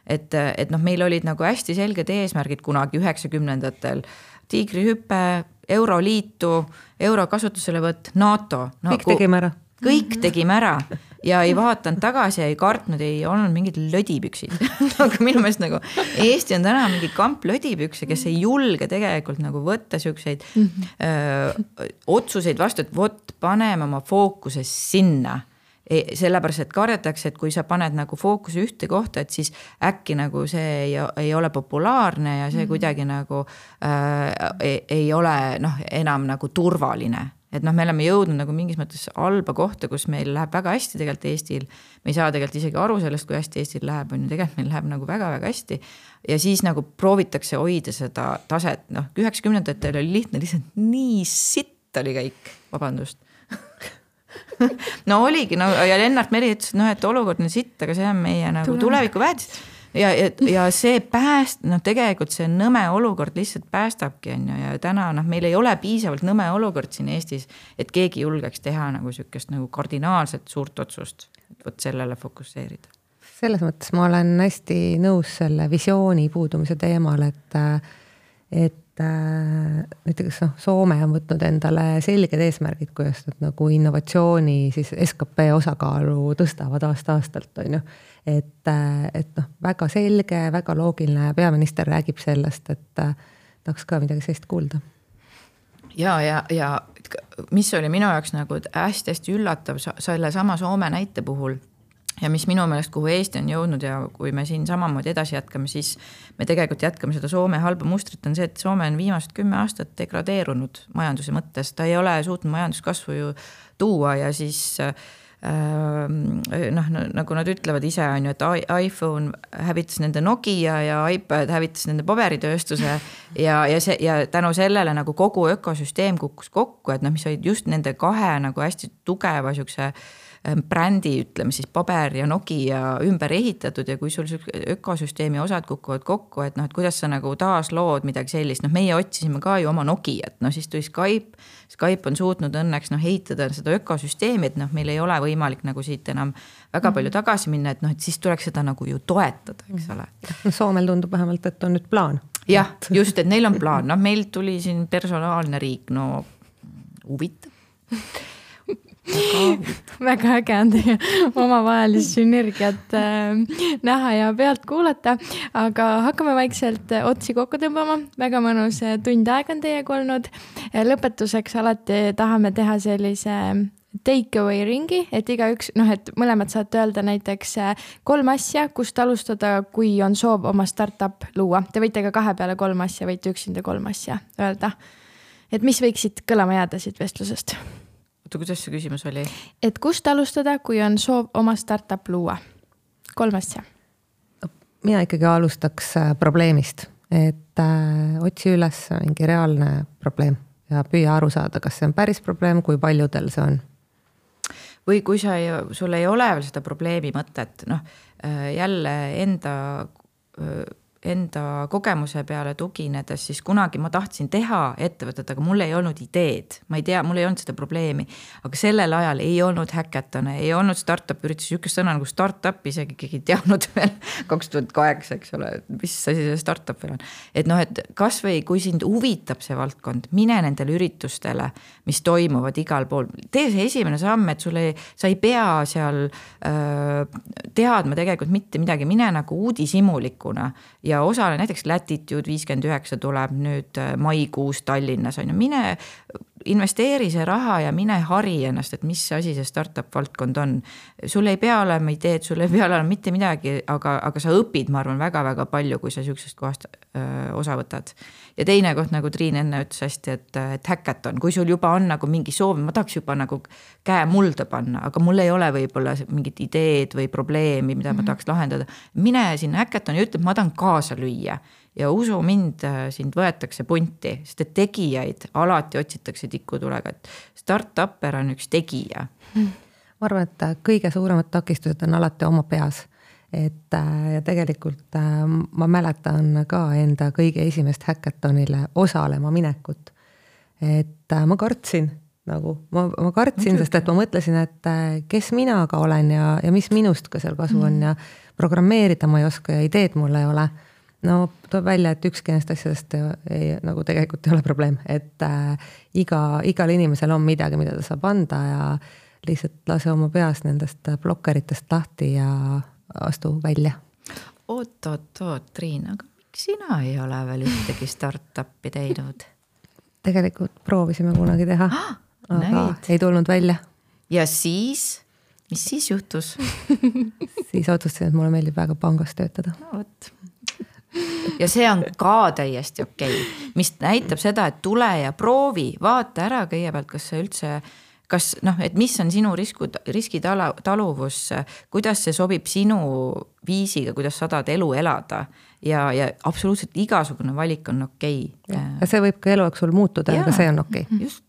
Et, et noh, meil olid nagu hästi selged eesmärgid kunagi üheksakümnendatel, tiigrihüpe, Euroliitu, euro kasutuselevõtt, NATO. No, kõik tegime ära. Kõik tegime ära ja ei vaatanud tagasi ja ei kartnud, ei olnud mingid lödipüksid. Aga minu meelest nagu Eesti on täna mingi kamp lödipükse, kes ei julge tegelikult nagu võtta siukseid mm-hmm. öö, otsuseid vastu, et vot paneme oma fookuse sinna. Sellepärast, et kardetakse, et kui sa paned nagu fookuse ühte kohta, et siis äkki nagu see ei, ei ole populaarne ja see mm-hmm. kuidagi nagu äh, ei, ei ole noh, enam nagu turvaline. Et noh, me oleme jõudnud nagu mingis mõttes halba kohta, kus meil läheb väga hästi tegelikult Eestil. Me ei saa tegelikult isegi aru sellest, kui hästi Eestil läheb, on ju tegelikult meil läheb nagu väga-väga hästi. Ja siis nagu proovitakse hoida seda taset, noh, üheksakümnendatel oli lihtne, lihtsalt nii sitt oli kõik, vabandust. No oligi, no, ja Lennart Meri ütles, no, et olukord on sitt, aga see on meie nagu tuleviku väärtus. Ja, ja, ja see pääst, noh, tegelikult see nõme olukord lihtsalt päästabki, on ju, ja täna, noh, meil ei ole piisavalt nõme olukord siin Eestis, et keegi julgeks teha nagu sükest nagu kardinaalselt suurt otsust, et võt sellele fokusseerida. Selles mõttes ma olen hästi nõus selle visiooni puudumise teemal, et, et näiteks no, Soome on võtnud endale selged eesmärgid, kuidas nad nagu innovatsiooni siis S K P osakaalu tõstavad aasta-aastalt, on ju. Et, et noh, väga selge, väga loogiline peaminister räägib sellest, et tahaks ka midagi sellist kuulda. Ja, ja, ja mis oli minu jaoks nagu hästi-hästi üllatav selle sama Soome näite puhul, ja mis minu meelest, kuhu Eesti on jõudnud ja kui me siin samamoodi edasi jätkame, siis me tegelikult jätkame seda Soome halba mustrit, on see, et Soome on viimased kümme aastat degradeerunud majanduse mõttes, ta ei ole suutnud majanduskasvu ju tuua ja siis noh, nagu nad ütlevad ise on ju, et iPhone hävitas nende Nokia ja iPad hävitas nende paberitööstuse ja, ja, see, ja tänu sellele nagu kogu ökosüsteem kukkus kokku, et noh, mis olid just nende kahe nagu hästi tugeva siukse brändi, ütleme siis paber ja Nokia ümber ehitatud ja kui sul ökosüsteemi osad kukuvad kokku, et noh, et kuidas sa nagu taas lood midagi sellist, noh meie otsisime ka ju oma Nokiat, no siis tuli Skype, Skype on suutnud õnneks noh ehitada seda ökosüsteemi, et noh, meil ei ole võimalik nagu siit enam väga palju tagasi minna, et noh, et siis tuleks seda nagu ju toetada, eks ole. No Soomel tundub vähemalt, et on nüüd plaan. Jah, just, et neil on plaan, noh meil tuli siin personaalne riik, no huvitav. väga äge on teie omavahelist sünergiat äh, näha ja pealt kuulata, aga hakkame vaikselt otsi kokku tõmbama. Väga mõnus tund aega on teiega olnud. Lõpetuseks alati tahame teha sellise take away ringi, et igaüks, noh, et mõlemad saate öelda näiteks kolm asja, kust alustada, kui on soov oma startup luua. Te võite ka kahe peale kolm asja, võite üksinda kolm asja öelda. Et mis võiksid kõlama jääda siit vestlusest? Oota, kuidas see küsimus oli? Et kust alustada, kui on soov oma startup luua? Kolm asja. Mina ikkagi alustaks probleemist, et äh, otsi üles mingi reaalne probleem ja püüa aru saada, kas see on päris probleem, kui paljudel see on. Või kui sa ei, sul ei ole veel seda probleemi mõtet, noh jälle enda enda kogemuse peale tuginedes, siis kunagi ma tahtsin teha ettevõtet, aga mul ei olnud ideed. Ma ei tea, mul ei olnud seda probleemi, aga sellel ajal ei olnud häkatone, ei olnud startup üritus, ükest sõna nagu startup, isegi keegi teadnud veel kaks tuhat kaheksa, eks ole, mis asi see startup veel on. Et noh, et kas või kui sind huvitab see valdkond, mine nendele üritustele, mis toimuvad igal pool. Tee see esimene samm, et sulle, sa ei pea seal äh, teadma tegelikult mitte midagi, mine nagu uudishimulikuna ja ja osale näiteks Latitude viiskümmend üheksa tuleb nüüd maikuus Tallinnas on ju, mine investeeri see raha ja mine hari ennast, et mis asi see startup valdkond on. Sul ei pea olema ideed, sul ei pea olema mitte midagi, aga, aga sa õpid, ma arvan, väga-väga palju, kui sa süksest kohast öö, osa võtad. Ja teine koht, nagu Triin enne ütles hästi, et, et häkaton, kui sul juba on nagu mingi soov, ma tahaks juba nagu käe mulda panna, aga mul ei ole võib-olla mingit ideed või probleemi, mida ma tahaks lahendada. Mine sinna häkaton ja ütleb, ma tahan kaasa lüüa. Ja usu mind, sind võetakse punti, sest et tegijaid alati otsitakse tikutulega, et startupper on üks tegija. Ma arvan, et kõige suuremad takistused on alati oma peas. Et ja tegelikult ma mäletan ka enda kõige esimest häkatonile osalema minekut. Et ma kartsin, nagu, ma, ma kartsin, sest et ma mõtlesin, et kes mina ka olen ja, ja mis minust ka seal kasu on ja programmeerida ma ei oska ja ideed mul ei ole. No tuleb välja, et ükski nendest asjadest ei, nagu tegelikult ei ole probleem, et äh, iga, igal inimesel on midagi, mida ta saab anda ja lihtsalt lase oma peas nendest blokkeritest lahti ja astu välja. Oot, oot, oot, Triin, aga miks sina ei ole veel ühtegi startupi teinud? Tegelikult proovisime kunagi teha, ah, aga näid. Ei tulnud välja. Ja siis, mis siis juhtus? Siis otsustasin, et mulle meeldib väga pangas töötada. No, võt. Ja see on ka täiesti okei, okay. Mis näitab seda, et tule ja proovi, vaata ära kõigepealt, kas see üldse, kas noh, et mis on sinu risku, riskitaluvus, kuidas see sobib sinu viisiga, kuidas sa tahad elu elada ja, ja absoluutselt igasugune valik on okei. Okay. Ja see võib ka elu jooksul muutuda, aga see on okei. Okay. Just.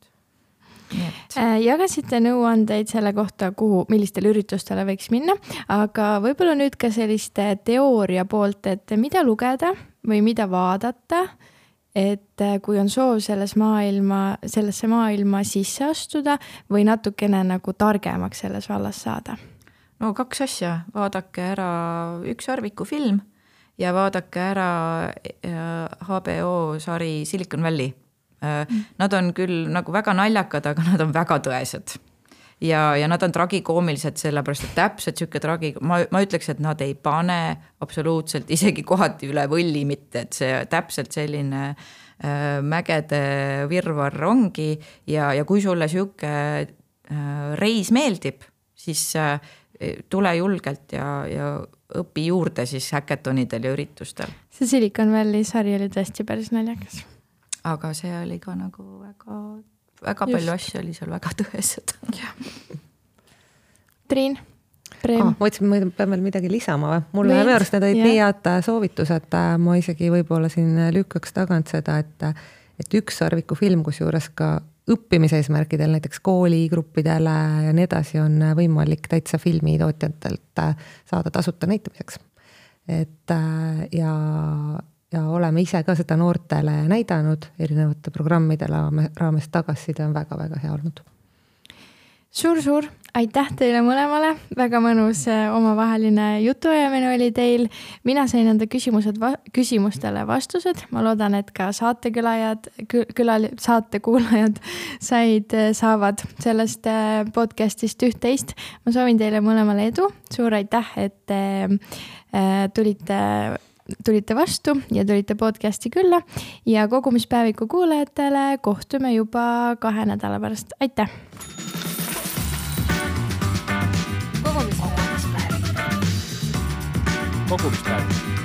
Jagasite nõuandeid selle kohta, kuhu, millistele üritustele võiks minna, aga võib-olla nüüd ka selliste teooria poolt, et mida lugeda või mida vaadata, et kui on soov selles maailma, sellesse maailma sisse astuda või natukene nagu targemaks selles vallas saada? No kaks asja, vaadake ära üks Arviku film ja vaadake ära H B O sari Silicon Valley. Nad on küll nagu väga naljakad, aga nad on väga tõesed. Ja, ja nad on tragikoomilised sellepärast, et täpselt sükke tragi, ma, ma ütleks, et nad ei pane absoluutselt isegi kohati üle võlli mitte, et see täpselt selline äh, mägede virvar ongi ja, ja kui sulle sükke äh, reis meeldib, siis äh, tule julgelt ja, ja õpi juurde siis häkatonidel ja üritustel. See Silicon Valley sari oli tõesti päris naljakas. Aga see oli ka nagu väga, väga Just. palju asju oli seal väga tõesed. Triin? Ah, ma ütlesin, ma pean veel midagi lisama või? Mulle minu arust need olid nii head soovitused, ma isegi võib-olla siin lükkaks tagant seda, et, et üks Sarviku film, kus juures ka õppimise eesmärkidel, näiteks kooligruppidele ja nii edasi on võimalik täitsa filmitootjatelt saada tasuta näitamiseks. Et ja, ja oleme ise ka seda noortele näidanud erinevate programmidele raames tagasiside on väga-väga hea olnud. Suur-suur, aitäh teile mõlemale, väga mõnus omavaheline jutuajamine oli teil. Mina sain enda küsimused, küsimustele vastused. Ma loodan, et ka saatekülajad, külal, saatekuulajad said, saavad sellest podcastist üht-teist. Ma soovin teile mõlemale edu. Suur aitäh, et tulite tulite vastu ja tulite podcasti külla ja kogumispäeviku kuulajatele kohtume juba kahe nädala pärast. Aitäh! Kogumispäevik. Kogumispäevik.